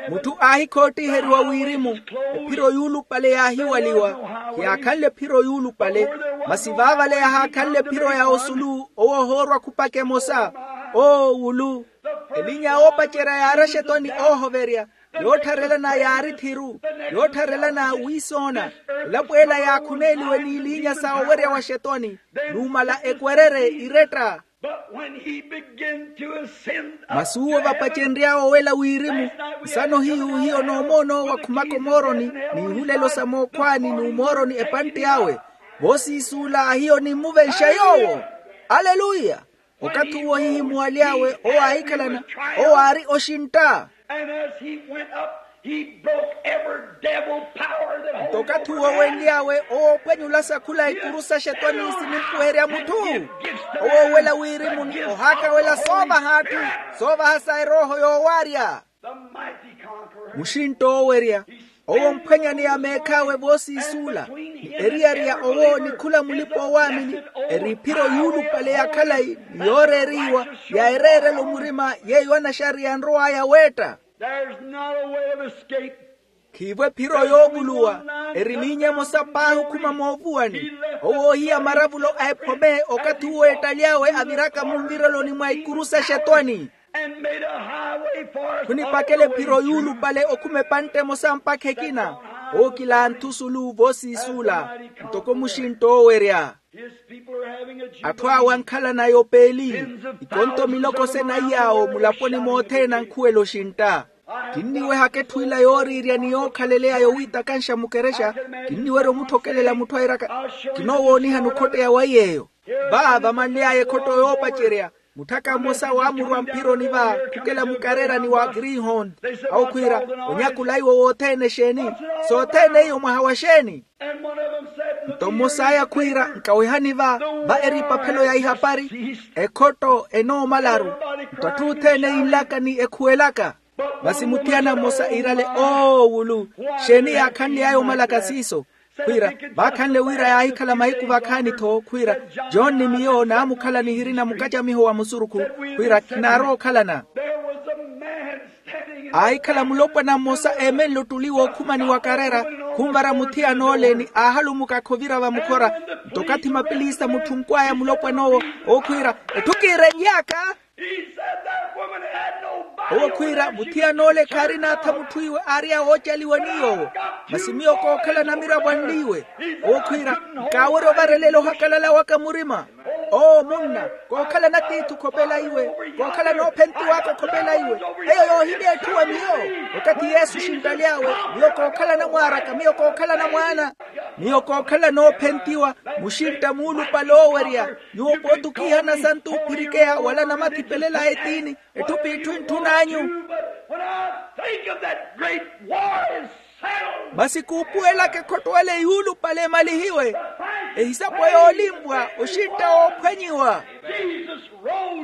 Mutthu aahikhoottiiheriwa wirimu, ephiro yuulupale yaahiwaliwa. Hiyaakhanle ephiro yuulupale, masi vaavale yahaakhanle ephiro ya osulu owo ohoorwa khupaka emosa. Oo wulu, elinya oopacerya yaari axetwani oohoverya, yoottharelana yaari thiru, yoottharelana wiisoona. Elapo ela yaakhuneeliwe n'ilinya sa owerya wa axetwani, numala ekwererye iretta. Masi uwo vapacenry'awe owela wirimu, nsano hiyu hiyo noomoono wakhumaka omooroni n'ihulelo sa mookhwaani n'umooroni epantte awe. Voosiisuula hiyo nimmuvenxa yoowo. Aleluya. Okathi uwo ohihimuwaly'awe owo aahikhalana, owo aari oxintta. Nto okathi uwo wenly'awe owo oopwenyulasa khula ikuru sa axetwani sinimpuherya mutthu. Owo owela wirimu ni ohaakawela soovaha atthu, soovaha sa erooho yoowaarya. Muxintta oowerya. Owo mphwanyaneya meekh'awe voosiisuula, ni eriyari ya owo ni khula mulipa-oowaamini, eri ephiro yuulupale ya khalayi ni yooreeriwa, ya ereerela omurima, yeiwo anaxariya anrow'aya weetta. There's not a way of escape. Khiivo ephiro yoovuluwa. Eri miinye emosa paahi okhuma moovuwani. Owo oohiya maravulo a ephome okathi uwo eettaly'awe aviraka munvireloni mwa ikuru s'axetwani. And made a highway for us. Khunipakela ephiro yuulupale okhuma epantte emosa mpakha ekina. Owo kila anthu sulu voosiisuula, ntoko muxintta oowerya. His people are having a jubilee. Atthu awe ankhalana yopeeli. Ikonto miloko sena iyaawo mulaponi mothene ankhuwela oxintta. Kinniwehaka etthu ila yooriirya ni yookhaleleya yowiitakanxa mukerexa. Kinniwerya omutthokelela mutthu airaka, kinoowoonihani okhotteya wa iy'eyo. Va vamanly'aya ekhotto yoopacerya, mutthaka mmosa waamurwa mphironi va, khukela mukareerani wa greenhorn. Awo khwiira, onyakula iwo wothene exeeni? Sothene iyo mwaha wa xeeni? Nto mmos'aya khwiira, nkawehani va, va eri epaphelo ya ihapari, ekhotto enoomalaru. Nto atthu othene yinlaka ni ekhuwelaka. Masi muthiyana mmosa iirale oowulu, xeeni yaakhanly'aya omalaka siiso? Khwiira, vaakhanle wira yaahikhala mahiku vakhaani-tho khwiira, john ni miyo naamukhala nihirina mukacamiho wa musurukhu, khwiira khinaarowa okhalana. Aahikhala mulopwana mmosa eemenle ottuli wookhumani wa karera, khunvara muthiyan'ole ni aahalumukakha ovira vamukhora. Nto okathi mapilisa mutthunkw'aya mulopwan'owo, ookhwiira, etthu kiirenly'aka. Owo khwiira, muthiyan'ole khaarina atha mutthu iwe aariy'awe oocaliwa ni yoowo. Masi miyo kookhala namiravo anliiwe. Owo khwiira, nkaawerya ovarelela ohakalala waka murima. Oo munna, kookhala na tiithi okhopela iwe, kookhala noophentiw'aka okhopela iwe. Eyo yoohimya etthu wa miyo. Okathi yesu oxinttaly'awe, miyo kookhala namwaaraka, miyo kookhala namwaana. Miyo kookhala noophentiwa, muxintta muulupale oowerya. Nyuwo pooti okiihana asantu oophirikeya wala namathi pelela a etiini, etthu p'itthu entthun'anyu. Masi kuupuwelaka ekhotto ele yuulupale emalihiwe, ehisapo yoolimpwa oxintta woophwanyiwa.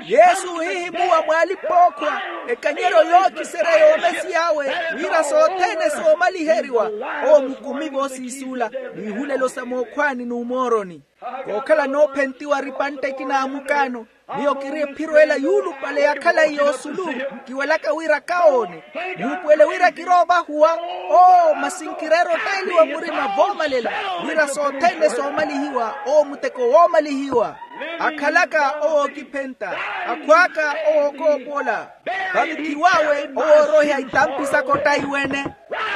Yesu ohihimuwa mw'alipa-ookhwa, ekanyeryo yookiserya y'omesiy'awe, wira sothene soomaliheriwa. Owo mukumi voosiisuula, n'ihulelo sa mookhwaani n'umooroni. Kookhala noophentiwa ari epantte ekina ya mukaano. Miyo kiri ephiro ela yuulupale ya khalayi y'osulu. Kiwelaka wira kawoone, muupuwele wira kiroovahuwa. Oo masi nkireera ottailiwa murima voomalela, wira sothene soomalihiwa. Oo muteko woomalihiwa. Akhalaka owo ookiphenta, akhw'aka owo ookoopola. Vavikiw'awe owo ooroiha itampi saka ottaiwene.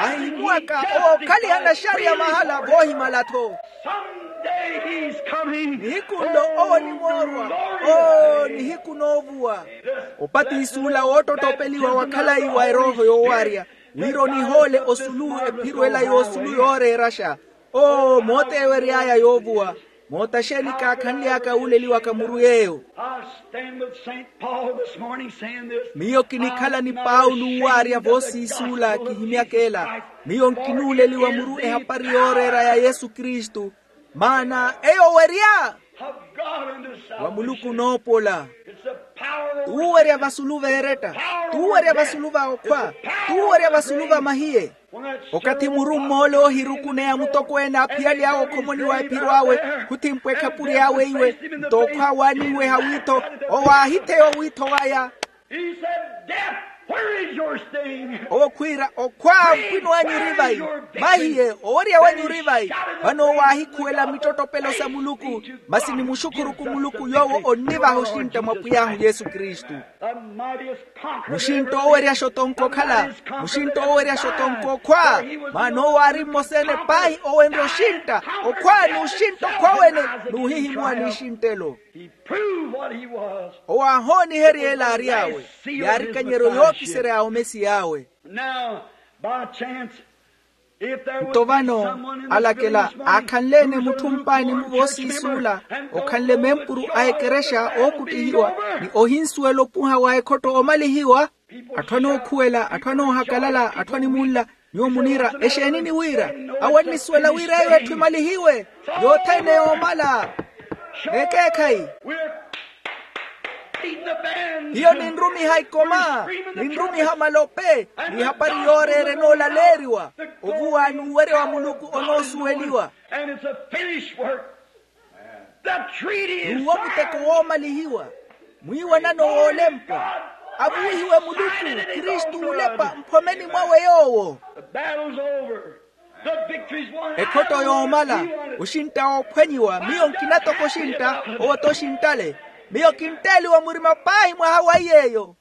Ahihimuwaka owo okhaliha naxariya mahala voohimala-tho. Nihiku nlo owo onimoorwa. Oo nihiku noovuwa. Opatisi ula woottottopeliwa wa khalayi wa erooho yoowaarya, wira onihoole osulu ephiro ela y'osulu yooreeraxa. Oo mooteewery'aya yoovuwa. Moota xeeni kaakhanly'aka wuuleliwaka muru yeeyo? Miyo kinikhala ni paulo owaarya voosiisuula kihimyaka ela. Miyo nkinuuleliwa muru ehapari yooreera ya yesu kristu. Maana eyo owerya wa muluku onoopola. T'uwerya vasulu veeretta, t'uwerya vasulu va okhwa, t'uwerya vasulu va mahiye. Okathi muru mmoole oohirukuneya mutokweene aaphiyalyawe okhomoni wa ephiro awe, khuthimpwa ekhapuri awe iwe, nto okhwa waaniiweha wiitho, owo aahitheya owiitho waya. Owo khwiira okhwa, mpwino anyu ori vayi? Mahiye owerya wanyu ori vayi? Vano owo aahikhuwela mittottopelo sa muluku. Masi nimuxukhuruku muluku yoowo onnivaha oxintta mwa pwiy'ahu yesu kristu. Muxintta oweryaxa otonko okhala, muxintta oweryaxa otonko okhwa. Maana owo aari mmosa-ene paahi owenrya oxintta okhwa n'uxintta okhwa wene, n'uhihimuwa n'ixinttelo. Owo aahooniherya ela aary'awe, yaari ekanyeryo yookiserya ya omesiy'awe. Nto vano alakela aakhanle-ene mutthu mpaani-mu voosiisuula, okhanle mempuru a ekerexa ookuttihiwa, ni ohinsuwela opuha wa ekhotto oomalihiwa. Atthu anookhuwela, atthu anoohakalala, atthu animunla, nyuwo muniira exeeni ni wira? Awo annisuwela wira eyo etthu emalihiwe. Yothene yoomala. Ekeekhayi. Hiyo ninrumiha ikoma, ninrumiha malope, n'ihapari yooreera enoolaleeriwa. Ovuwa n'uwerya wa muluku onoosuweliwa. N'uwo muteko woomalihiwa. Mwiiwanano woolempwa. Avuwihiwe muluku, kristu ulepa mphomeni mwawe yoowo. Ekhotto yoomala. Oxintta woophwanyiwa miyo nkina toko oxintta. Owo t'oxinttale. Miyo kintteeliwa murima paahi mwaha wa iy'eyo.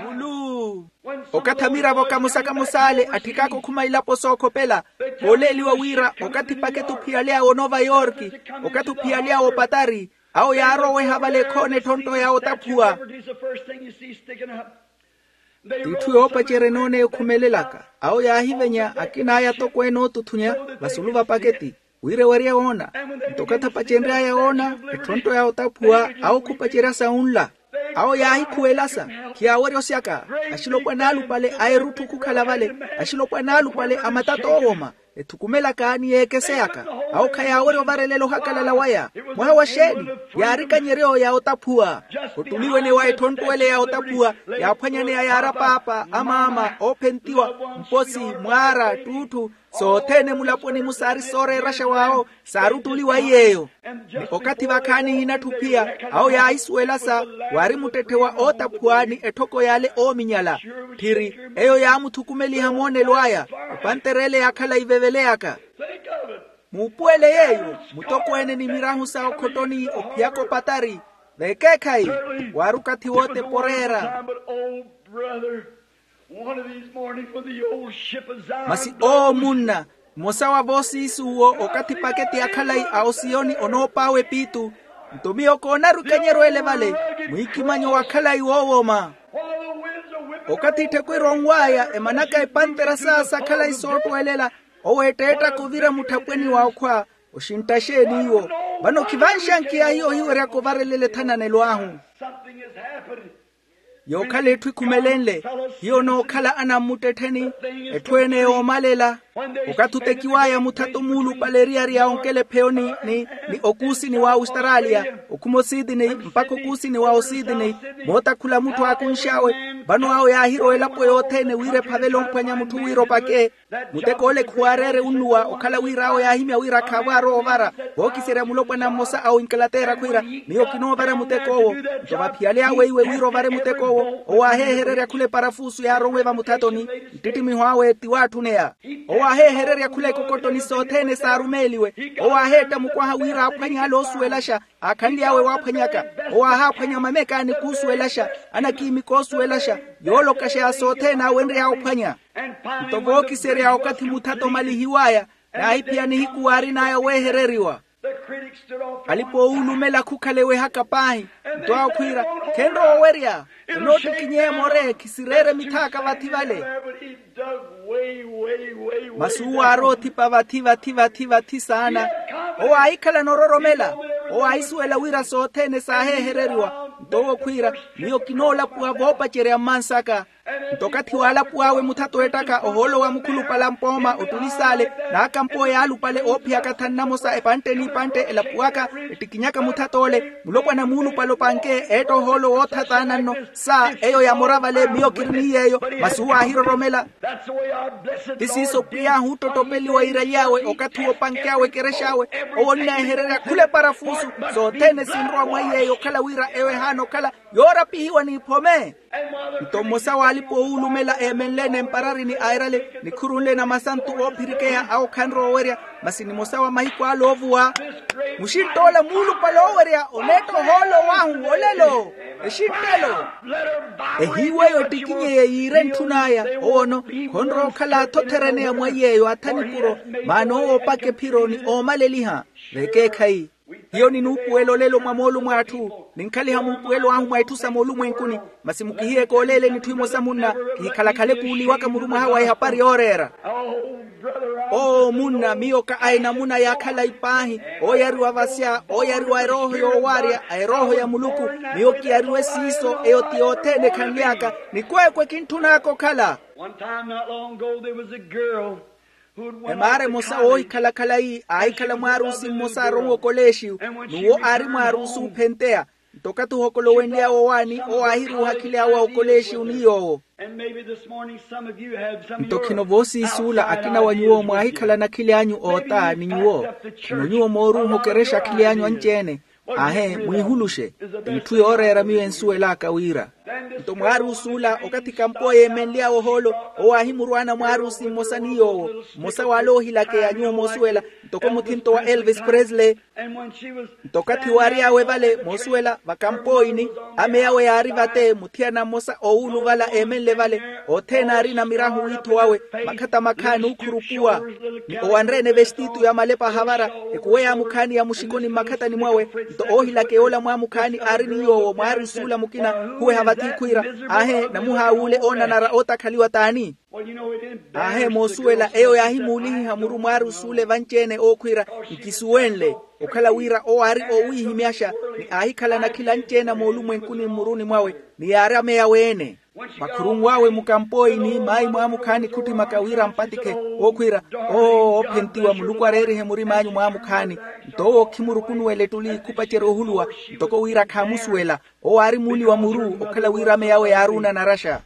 Mulu. Okathi amiravo kamosa-kamosa ale atthikaaka okhuma ilapo sookhopela, kooleeliwa wira okathi paketi ophiyalyawe onoova yorki, okathi ophiyalyawe opatari, awo yaaroweha vale ekhoona etthonto ya otaphuwa. T'itthu yoopacerya enooneya okhumelelaka. Awo yaahivenya akina aya atokweene ootuthunya vasulu va paketi, wira ewerye woona. Nto okathi apacenry'aya woona etthonto ya otaphuwa, awo khupacerya sa unla. Awo yaahikhuwelasa, khiyaawerya osyaka. Axilopwana alupale a erutthu khukhala vale, axilopwana alupale a matato oowoma, ethukumelaka ni yeekeseyaka. Awo khayaawerya ovarelela ohakalala waya. Mwaha wa xeeni? Yaari kanyeryo ya otaphuwa. Ottuliwene wa etthonto ele ya otaphuwa, yaaphwanyaneya yaara paapa, amaama, oophentiwa, mposi, mwaara, ttuutthu, sothene mulaponi-mu saari sooreeraxa waawo, saari ottuliwa iy'eyo. Ni okathi vakhaani hiinatthu phiya, awo yaahisuwelasa, waari muttetthe wa ootaphuwa ni etthoko y'ale oominyala. Tthiri, eyo yaamuthukumeliha moonelo aya. Epantere ele yaakhala iveveleyaka. Muupuwele yeeyo. Mutokweene ni mirahu sa okhottoni ophiyaka opatari, vekeekhayi, waari okathi wote poreera. Masi oo munna, mmosa wa voosiisi uwo okathi paketi ya khalayi a osiyoni onoopaawa epiitu. Nto miyo koonaru ekanyeryo ele vale, mwiikimanyo wa khalayi woowoma. Okathi etthekwira onw'aya emanaka epantera sa sa khalayi soottwelela, owo etteettaka ovira mutthapweni wa okhwa. Oxintta xeeni iwo? Vano khivanxankiya hiyo ohiweryaka ovarelela ethananelo ahu. Yookhala etthu ekhumelenle, hiyo onookhala anammuttettheni, etthu ene yoomalela. Okathi otekiw'aya muthato muulupale eriyari ya onkela epheyo ni, ni, ni okuusini wa austaraaliya, okhuma ositini mpakha okuusini wa ositini, mootakhula mutthu aakunx'awe. Vano awo yaahirowa elapo yothene wira ephavele omphwanya mutthu wira opake. Muteko ole khuwaareere unnuwa okhala wira awo yaahimya wira khaavo aarowa ovara. Vookiserya mulopwana mmosa a oinkalateera khwiira, miyo kinoovara muteko owo. Nto vaphiyale awe iwe wira ovare muteko owo, owo aaheehererya khula eparafusu yaaronwe vamuthatoni. Nttittimiho awe ti waatthuneya. Owo aaheehererya khula ekokottoni sothene saarumeeliwe. Owo aaheetta mukwaha wira aaphwanye ale oosuwelaxa. Aakhanly'awe waaphwanyaka. Owo aahaaphwanya mameka ni kuusuwelaxa, anakiimika oosuwelaxa, yoolokaxa ya sothene aawenry'aya ophwanya. Nto vookiserya okathi muthato omalihiw'aya, naahiphiya nihiku waarin'aya weehereriwa. Alipa oowulumela khukhala ewehaka paahi. Nto awo khwiira, khenrowa owerya. Enoottikinyeya more, khisireere mithaaka vathi vale. Masi uwo aaroothipa vathi vathi vathi vathi saana. Owo aahikhalana ororomela. Owo aahisuwela wira sothene saaheehereriwa. Nto owo khwiira, miyo kinoolapuwa voopacerya mmansaka. Nto okathi waalapuw'awe muthato ettaka ohoolo wa mukhulupale a mpooma ottuli saale, n'akamp'oya alupale oophiyaka thanu namosa epantte n'ipantte elapuwaka, ettikinyaka muthat'ole. Mulopwana muulupale opanke eetta ohoolo wootha taana nno. Sa eyo yamora vale miyo kiri ni yeeyo. Masi uwo aahiroromela. Ti siiso pwiy'ahu ottottopeliwa iiraly'awe okathi woopanky'awe ekerex'awe. Owo onneehererya khula eparafusu. Sothene sinrowa mwa iyeeyo okhala wira eyo ehaana okhala yoorapihiwa n'iphome. Nto mmosa w'alipa oowulumela eemenle-ene mpararini airale nikhurunle na masantu oophirikeya awo khanrowa owerya. Masi nimosa wa mahiku ale oovuwa, muxintt'ola muulupale oowerya oneetta ohoolo w'ahu olelo. Exinttelo. Ehiiw'eyo ettikinyeye yiire ntthun'aya. Owono khonrowa okhala athothereneya mwa iyeeyo atha nipuro. Maana owo opaka ephiro ni oomaleliha. Vekeekhayi. Hiyo ninuupuwela olelo mwa moolumo a atthu. Ninkhaliha muupuwelo ahu mwa etthu sa moolumwenkuni. Masi mukihiyeke oleele n'itthu imosa munna. Kihikhalakhala ekuuliwaka murumwaha wa ehapari yooreera. Oo munna, miyo ka a enamuna ya khalayi paahi. Ooyariwa vasya, ooyariwa erooho yoowarya a erooho ya muluku. Miyo kiyariwe siiso eyo ti yothene ekhanly'aka. Nikweekwe kintthun'aka okhala. One time not long ago there was a girl. Emaara emosa woohikhala khalayi aahikhala mwaarusi mmosa aronwe okoleexiyu. N'uwo aari mwaarusi oophenteya. Nto okathi ohokolowenly'awe owaani owo aahiruuha akhili awe a okoleexiwu ni yoowo. Nto khino voosiisuula akina wa nyuwo mwaahikhalana akhili anyu oota ni nyuwo. Khino nyuwo mooruuha okerexa akhili anyu anci-ene. Aahe mwiihuluxe. Itthu yooreera miyo ensuwel'aka wira. Nto mwaari osuula okathi kampo yeemenly'awe ohoolo, owo aahimurwaana mwaari osi mmosa ni yoowo. Mmosa w'ale oohilakeya nyuwo moosuwela, ntoko muthinto wa elvis presley. Nto okathi waary'awe vale moosuwela vakampooyini, ame awe yaari vate muthiyana mmosa oowuluvala eemenle vale. Othene aarina mirahu wiitho wawe, makhata makhaani ookhurupuwa. Ni owanre-ene vestitu ya malepa ahavara, ekuwe yaamukhaani ya muxikoni mmakhatani mwawe. Nto oohilakeya ola mwaamukhaani aari ni yoowo mwaari osuula mukina, khuweha vathi khwiira, aahe namuhaawuule oonanara ootakhaliwa t'ani? Aahe moosuwela eyo yaahimuulihiha muru mwaari osuule vanci-ene ookhwiira, nkisuwenle. Okhala wira owo aari oowiihimyaxa, ni aahikhalana akhila anci-ene a moolumwenkuni mmuruni mwawe, ni yaari ameya weene. Vakhurunw'awe mukampooyini maayi mwaamukhaani khuttimaka wira ampatikhe, ookhwiira, oo oophentiwa muluku areerihe murim'anyu mwaamukhaani. Nto owo khimurukunuwela ettuli khupacerya ohuluwa, ntoko wira khaamusuwela. Owo aari muuli wa muru okhala wira ameya awe yaari onanaraxa.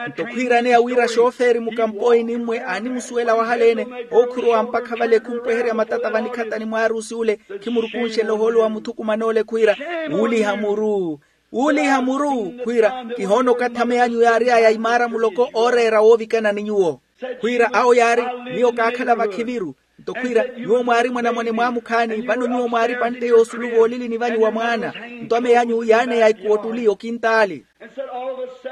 Nto khwiiraneya wira xoofeeri mukampooyini mmwe aanimusuwela wahaleene, ookhurowa mpakha vale khumpweherya matata vanikhatani mwaari osuule. Khimurukunxela ohoolo wa muthukuman'ole khwiira, wuuliha muru. Wuuliha muru khwiira, kihoona okathi ameya anyu yaary'aya imaara muloko ooreera woovikana ni nyuwo. Khwiira awo yaari, miyo kaakhala vakhiviru. Nto khwiira, nyuwo mwaari mwanamwane mwaamukhaani vano nyuwo mwaari pantte yoosulu voolilini vanyu wa mwaana. Nto ameya anyu yaaneya ikuwo ttuli okintaali.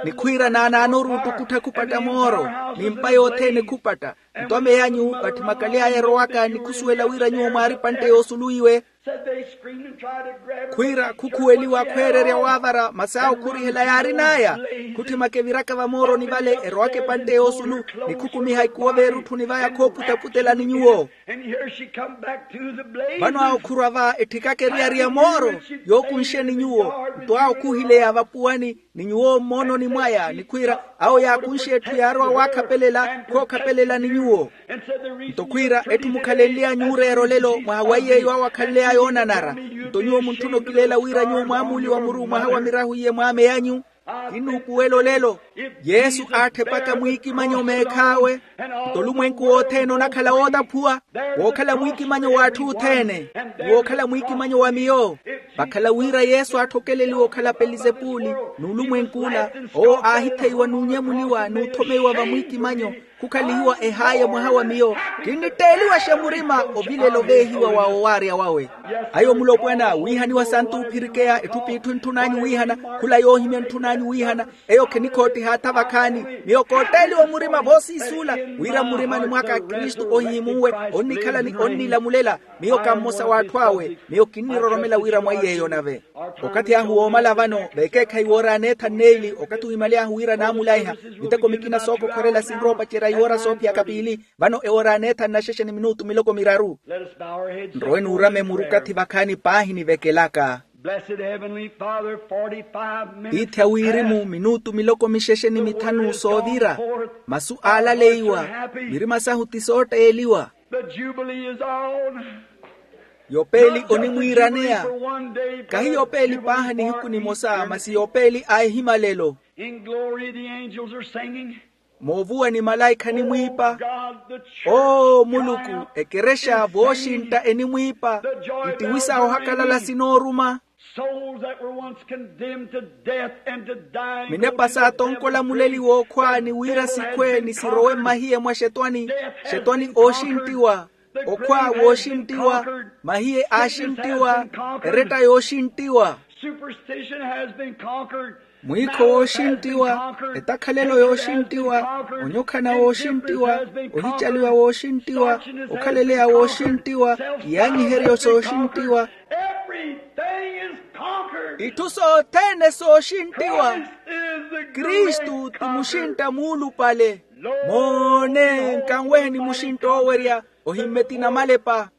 Ni khwiira naanaanoru ottukuttha khupatta mooro, ni mpa yothene khupatta. Nto ameya anyu vatthimakaly'aya erowaka ni khusuwela wira nyuwo mwaari pantte yoosulu iwe. Khwiira khukhuweliwa khweererya waavara masi awo khurihela yaarin'aya. Khutthimaka eviraka vamooroni vale erowaka epantte yoosulu, ni khukumiha ikuwo veerutthuni vaya khooputa-putela ni nyuwo. Vano awo khurwa va etthikaka eriyari ya mooro, yookunxe ni nyuwo. Nto awo khuhileya vapuwani, ni nyuwo mmoononi mwaya ni khwiira, awo yaakunxe etthu yaarowa waakhapelela khookhapelela ni nyuwo. Nto khwiira etthu mukhalenly'anyu oreera olelo mwaha wa iy'eyo awo akhanly'aya oonanara. Nto nyuwo muntthuna okileela wira nyuwo mwaamuuliwa muru mwaha wa mirahu iye mwaameyanyu. Kinnuupuwela olelo. Yesu aatthepaka mwiikimanyo meekh'awe. Nto olumwenku wothene onakhala wootaphuwa, wookhala mwiikimanyo w'atthu othene, ni wookhala mwiikimanyo wa miyo. Vakhala wira yesu aatthokeleliwa okhala pelizepuli, n'ulumwenk'ula owo aahitheiwa n'unyemuliwa n'uthomeiwa vamwiikimanyo, khukhalihiwa ehaaye mwaha wa miyo. Kinnitteeliwaxe murima ovilela oveehiwa wa owaarya wawe. Ayo mulopwana wiihaniwa santu ophirikeya etthu p'itthu entthun'anyu wiihana, khula yoohimya entthun'anyu wiihana. Eyo khinikhoottihaattha vakhaani. Miyo kootteeliwa murima voosiisuula, wira mmurimani mwaka kristu ohihimunwe onnikhala ni onnilamulela. Miyo ka mmosa w'atthu awe. Miyo kinniroromela wira mwa iy'eyo nave. Okathi ahu woomala vano veekeekhayi wooraneetha nneili okathi wimaly'ahu wira naamulaiha. Miteko mikina sookokhorela sinrowa opacerya iwoora soophiyaka piili. Vano ewooraneetha nnaxexe ni minutu miloko miraru. Nrowe nuurame murukathi vakhaani paahi nivekelaka. Blessed heavenly father forty-five minutes ithi a wirimu minutu miloko mixexe ni mithanu soovira. Masu aalaleiwa. Mirima sahu ti sootteeliwa. The jubilee is on. Yopeeli onimwiiraneya. Kahi yopeeli paaha nihiku nimosa masi yopeeli a ehimalelo. In glory the angels are singing. Moovuwani malaikha enimwiipa. Oo muluku, ekerexa vooxintta enimwiipa. Ittiwisa ohakalala sinooruma. Souls that were once condemned to death and to dying. Minepa saatonkola muleli wookhwaani wira sikhwe ni sirowe mmahiye mwa xetwani. Xetwani ooxinttiwa. Okhwa wooxinttiwa. Mahiye aaxinttiwa. Eretta yooxinttiwa. Superstition has been conquered. Mwiikho wooxinttiwa. Etakhalelo yooxinttiwa. Onyokhana wooxinttiwa. Ohicaliwa wooxinttiwa. Okhaleleya wooxinttiwa. Iyaanyiheryo sooxinttiwa. Itthu sothene sooxinttiwa. Kristu ti muxintta muulupale. Moone nkanweheni muxintta oowerya. Ohimmeti namalepa.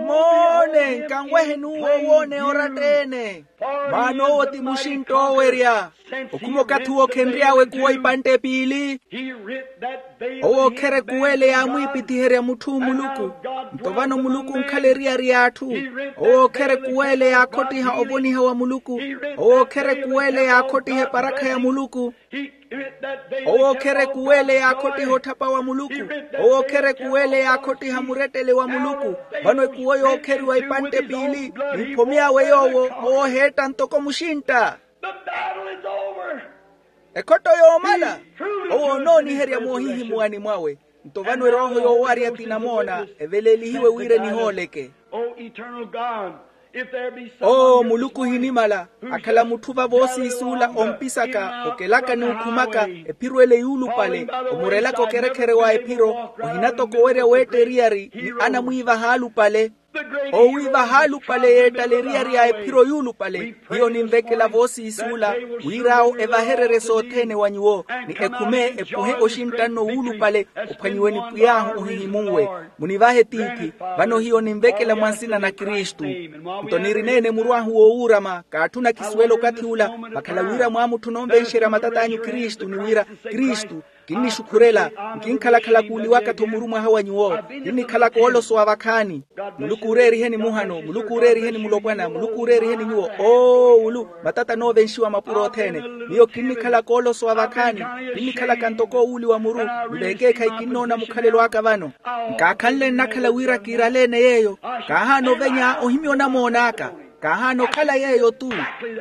Moone nkanweheni uwo wooneya oratta-ene. Maana owo ti muxintta oowerya. Okhuma okathi uwo khenry'awe kuwo ipantte piili. Owo okherya ekuwele yaamwiipithiherya mutthu muluku. Nto vano muluku onkhala eriyari y'atthu. Owo ookhere kuweele yaakhottiha ovoniha wa muluku. Owo ookhere kuweele yaakhottiha eparakha ya muluku. Owo ookhere kuweele yaakhottiha otthapa wa muluku. Owo ookhere kuweele yaakhottiha murettele wa muluku. Vano ekuwo yookheriwa ipantte piili, ni mphomi awe yoowo, owo oheetta ntoko muxintta. Ekhotto yoomala. Owo onooniherya moohihimuwani mwawe. Nto vano erooho yoowarya ti namoona eveleelihiwe wira enihooleke. Oo muluku ohinimala, akhala mutthu va voosiisuula ompisaka okelaka n'ukhumaka ephiro ele yuulupale, omurelaka okerekhere wa ephiro, ohinatokowerya weetta eriyari ni anamwiivaha alupale. Owiivaha alupale yeettala eriyari ya ephiro yuulupale. Hiyo ninvekela voosiisuula, wir'awo evahererye sothene wa nyuwo, ni ekhume epuhe oxintta nno wuulupale, ophwanyiwe ni pwiy'ahu ohihimunwe. Munivahe tiithi. Vano hiyo ninvekela mwa nsina na kristu. Nto nirineene muru ahu woowuurama kaatthuna kisuwela okathi ula. Vakhala wira mwaamutthuna onvenxerya matat'anyu kristu ni wira, kristu, kinnixukhurela, nkinkhalakhala kuuliwaka-tho muru mwaha wa nyuwo. Kinnikhalaka oolosowa vakhaani. Muluku ooreeriheni muhano, muluku ooreeriheni mulopwana, muluku ooreeriheni nyuwo. Oo ulu matata anoovenxiwa mapuro othene. Miyo kinnikhalaka oolosowa vakhaani. Kinnikhalaka ntoko owuuliwa muru. Ni veekeekhayi kinnoona mukhalelo aka vano. Nkaakhanle nnakhala wira kiiraleene yeeyo. Kaahaana ovenya ohimya onamoon'aka. Kaahaana okhala yeeyo-tu.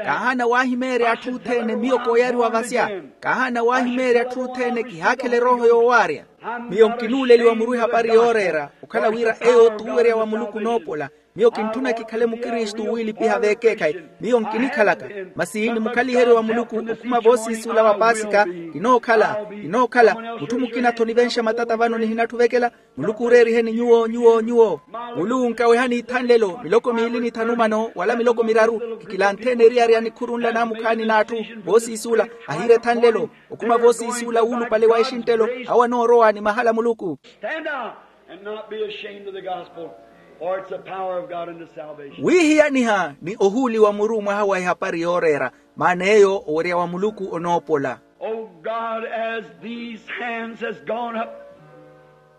Kaahaana waahimeerya atthu othene miyo kooyariwa vasya. Kaahaana waahimeerya atthu othene kihaakhela erooho yoowaarya. Miyo nkinuuleliwa muru ehapari yooreera okhala wira eyo t'uwerya wa muluku onoopola. Miyo kintthuna kikhale mukristu wiilipiha veekeekhayi. Miyo nkinikhalaka masi ni mukhaliheryo wa muluku okhuma voosiisuula wa paasika. Kinookhala, kinookhala. Mutthu mukina-tho onivenxa matata vano nihinatthu ovekela. Muluku ooreeriheni nyuwo, nyuwo, nyuwo. Muluku nkawehani ithanlelo miloko miili ni thanumano wala miloko miraru. Kikilantheene eriyari ya nikhuru nla naamukhaani n'atthu. Voosiisuula ahiira ethanlelo. Okhuma voosiisuula wuulupale wa exinttelo. Awo anoorowa ni mahala a muluku. Stand out and not be ashamed of the gospel, for it's the power of God unto salvation. Wiihiyaniha ni ohuuliwa muru mwaha wa ehapari yooreera. Maana eyo owerya wa muluku onoopola. Oh God, as these hands has gone up.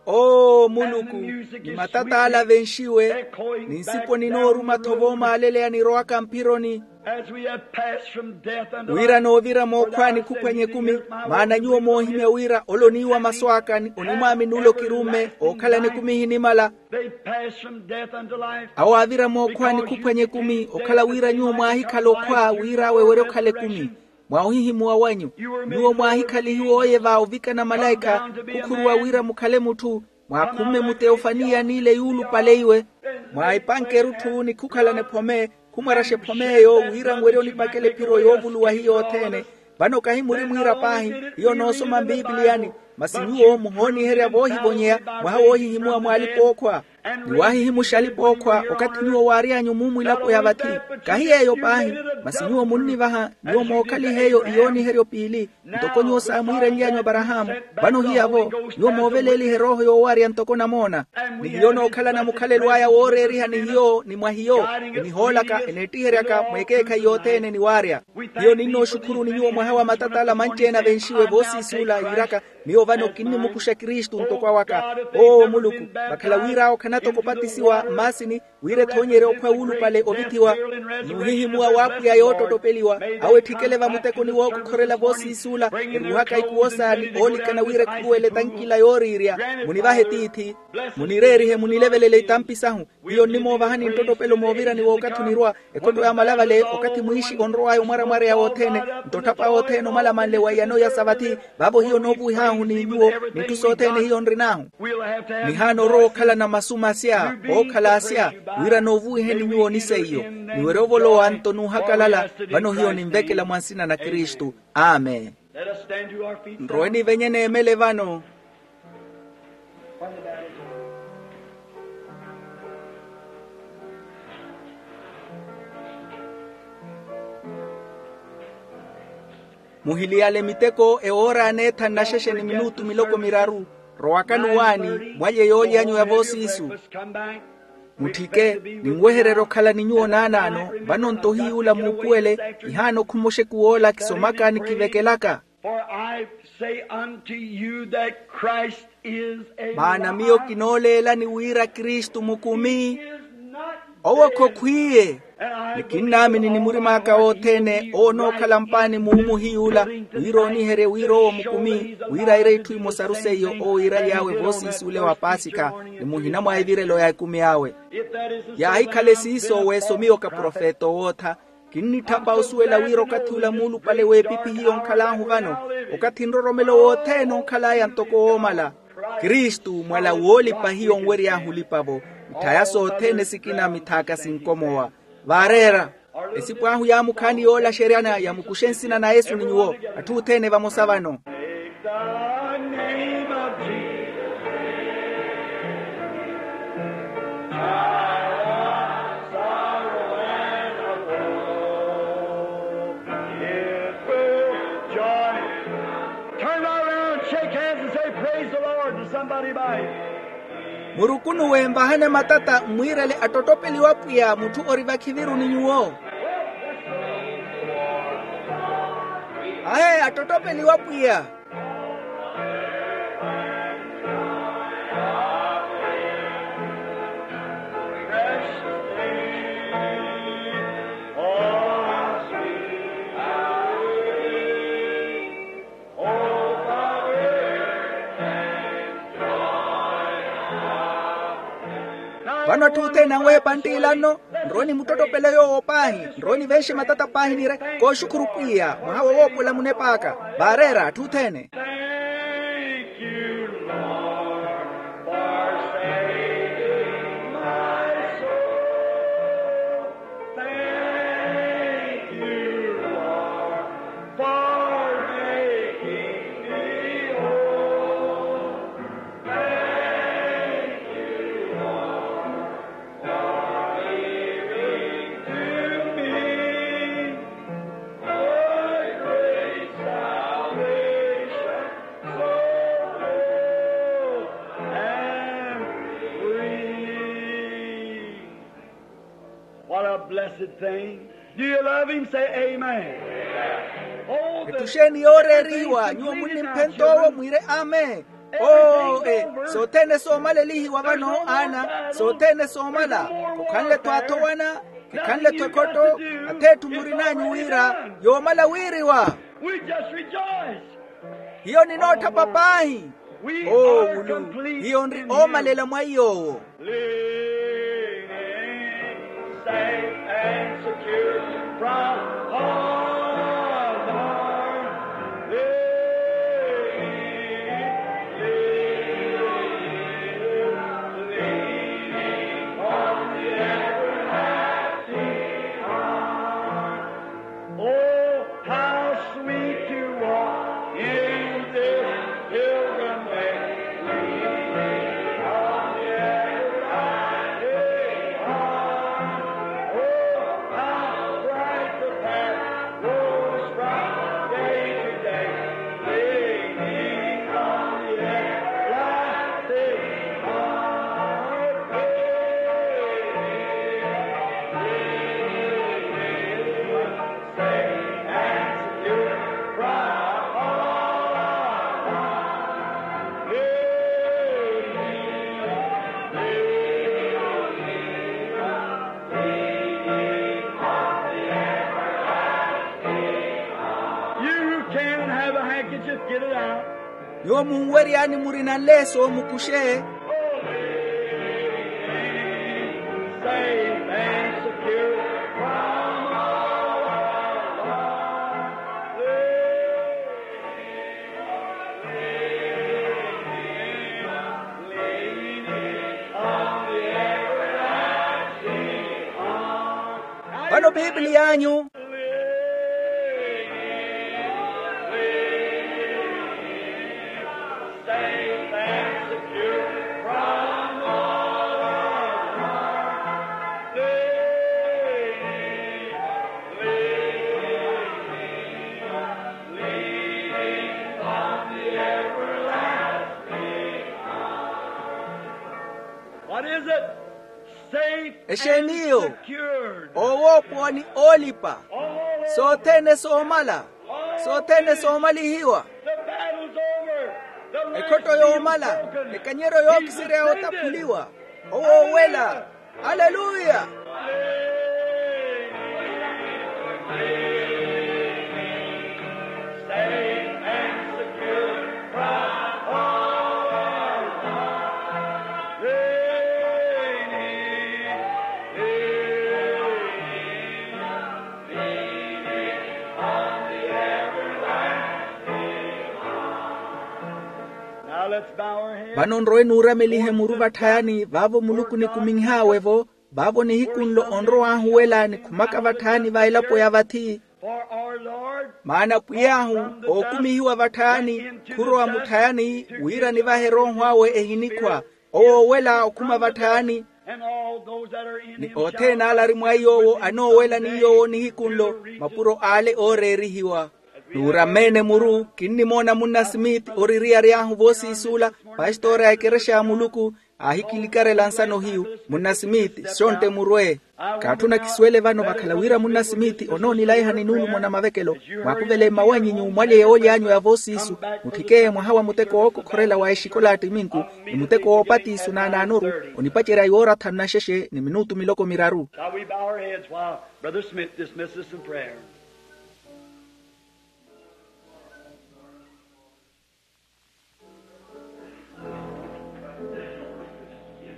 Oo muluku, ni matata ala avenxiwe, ni nsipo ninooruma-tho voomaaleleya nirowaka mphironi. As we have passed from death unto life. Wira noovira mookhwaani khuphwanya ekumi. Maana nyuwo moohimya wira ole oniiwa masu aka ni onimwaamini ole okirumme ookhalana ekumi ehinimala. They passed from death unto life. Awo aavira mookhwaani khuphwanya ekumi okhala wira nyuwo mwaahikhala okhwa wira awe were okhala ekumi. Mwa ohihimuwa wanyu, nyuwo mwaahikhalihiwa oye va ovikana malaikha, khukhuruwa wira mukhale mutthu. Mwaakhumme muteofaniya n'ile yuulupale iwe. Mwaahipanke erutthu ni khukhalana ephome. Khumwaraxa ephome eyo wira nwerye onipakela ephiro yoovuluwa hiyo othene. Vano kahi muri mwiira paahi. Hiyo noosoma mpipiliyani. Masi nyuwo muhooniherya voohivonyeya mwaha woohihimuwa mw'alipa-ookhwa. Ni waahihimuxa alipa-ookhwa okathi nyuwo waary'anyu mumwilapo ya vathi. Kahi yeeyo paahi. Masi nyuwo munnivaha nyuwo mookhalihe eyo iyooniheryo piili. Ntoko nyuwo saamwiirenly'anyu aparahaamu. Vano hiyavo nyuwo mooveleeliha erooho yoowarya ntoko namoona. Ni hiyo nookhalana mukhalelo aya wooreeriha ni hiyo ni mwa hiyo. Enihoolaka eneettiheryaka mweekeekhayi yothene ni waarya. Hiyo ninnooxukhuruni nyuwo mwaha wa matata ala manci-ene avenxiwe voosiisuula yiiraka. Miyo vano kinnimukuxa kristu ntoko awaka. Oo muluku, vakhala wir'awo khanatoko opatisiwa mmaasini, wira ethoonyerye okhwa wuulupale ovithiwa. N'uhihimuwa w'apwiya yoottottopeliwa. Awo etthikele vamutekoni wookokhorela voosiisuula, eruuhaka ikuwo saani oolikana wira ekhuruwele etankila yooriirya. Munivahe tiithi. Munireerihe munilevelele itampi sahu. Hiyo nnimoovahani nttottopelo moovirani w'okathi onirwa. Ekhotto ya malavale okathi mwiixi onrow'aya omwaramwareya wothene, nto otthapa othene omalamanle wa iyano ya savathi. Vaavo hiyo noovuwih'ahu ni nyuwo. N'itthu sothene hiyo nrin'ahu. Nihaana orowa okhalana masu masya ookhala asya, wira noovuwiheni nyuwo ni seiyo. Niwerye ovolowa nto n'uhakalala. Vano hiyo ninvekela mwa nsina na kristu. Amen. Nrowe nivenye neemele vano. Muhiliyale miteko ewoora aneethani naxexe ni minutu miloko miraru. Rowakani owaani mwalye yooly'anyu ya voosiisu. Mutthike, ninwehererya okhala ni nyuwo naanaano. Vano nto hiy'ula muupuwele, kihaana okhuma oxeku woola kisomaka ni kivekelaka. For I say unto you that Christ Maana miyo kinooleelani wira kristu mukumi. Owo khokhwiiye. Ni kinnaamini ni murim'aka wothene owo onookhala mpaani muumuhiy'ula, wira ooniherye wira owo mukumi, wira aire itthu imosaru seiyo owo iiraly'awe voosiisi ule wa pasikha, ni muhina mwa evirelo ya ekumi awe. Yaahikhala esiiso weesomiwa okaprofeta owootha. Kinnitthapa osuwela wira okathi ula muulupale w'epipi hiyo onkhal'ahu vano, okathi nroromelo wothene onkhal'aya ntoko woomala. Kristu mwala woolipa hiyo onwery'ahu olipa-vo. Mitthaya sothene sikina mitth'aka sinkomowa. Vaareera. Esipu ahu yaamukhaani yoolaxeryana yamukuxe nsina na yesu ni nyuwo. Atthu othene vamosa vano. Take the name of Jesus. Child of sorrow and of woe. It will joy. Turn right around, shake hands and say, "Praise the Lord," to somebody by. Murukunuwe nvahane matata mmwiirele attottopeliwa pwiya mutthu ori vakhiviru ni nyuwo. Ahe attottopeliwa pwiya. Vano atthu othene anweepa nttiilanno. Nrowe nimuttottopele yoowo paahi. Nrowe nivenxe matata paahi nire, kooxukhuru pwiya mwaha wowoopola munep'aka. Vaareera atthu othene. Thank you, Lord, for saving my soul. Thank you, Lord, for making me whole. Thank you, Lord, for giving to me a great salvation, so full and free. What a blessed thing. Do you love him? Say amen. Oh, the ettuxeeni yooreeriwa nyuwo munnimphentowo mwiire amen. Oo e, sothene soomalelihiwa vano aana, sothene soomala. Khukhanle-tho athowana, khikhanle-tho ekhotto. Atheetthu murin'anyu wira yoomala wiiriwa. We just rejoice. Hiyo ninootthapa paahi. Oo wulu, hiyo nri oomalela mwa iy'owo. Leading safe and secure from all harm. Leading, leading, leading on the everlasting arm. Oh, how sweet to walk in this pilgrim way, leaning on the everlasting arm. Oh, how bright the path grows from day to day, leaning on the everlasting arm. Safe and secure from all harm. Lead me, lead me, lead me on the everlasting arm. You who can and have a handkerchief, get it out. Nyuwo munweryaani murina nleeso mukuxe. Vano piipili yaanyu. What is it? Safe. Exeeni iyo? Secured. Owoopowa ni oolipa. Sothene soomala. Sothene soomalihiwa. The battle's over. The Ekhotto yoomala, ekanyeryo yookiserya yootaphuliwa. Owoowela. Aleluya. Vano nrowe nuuramelihe muru vatthayani vaavo muluku nikuminhaawe-vo. Vaavo nihiku nlo onrow'ahu wela nikhumaka vatthayani va elapo ya vathi. Maana pwiy'ahu ookumihiwa vatthayani khurowa mutthayani wira nivahe erooho awe ehinikhwa. Owoowela okhuma vatthayani. Ni othene ale ari mwa iy'owo anoowela ni yoowo nihiku nlo mapuro ale ooreerihiwa. Nuurameene muru kinnimoona munna smith oririyary'ahu voosiis'ula. Pastora a ekerexa ya muluku aahikilikarela nsano hiyu. Munna smith sontte murwe. Kaatthuna kisuwele vano vakhala wira munna smith onoonilaiha ni nuulumo na mavekelo. Mwaakuvele mmawanyi nyuwo mwalye yooly'anyu ya voosiisu. Mutthikeye mwaha wa muteko wookokhorela wa exikola ya ttiminku ni muteko woopatisu n'anaanoru onipacerya yoora thanu na xexe ni minutu miloko miraru. Shall we bow our heads while Brother Smith dismisses us in prayer?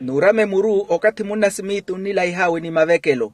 Nuurame muru okathi munna smith onnilaih'awe ni mavekelo.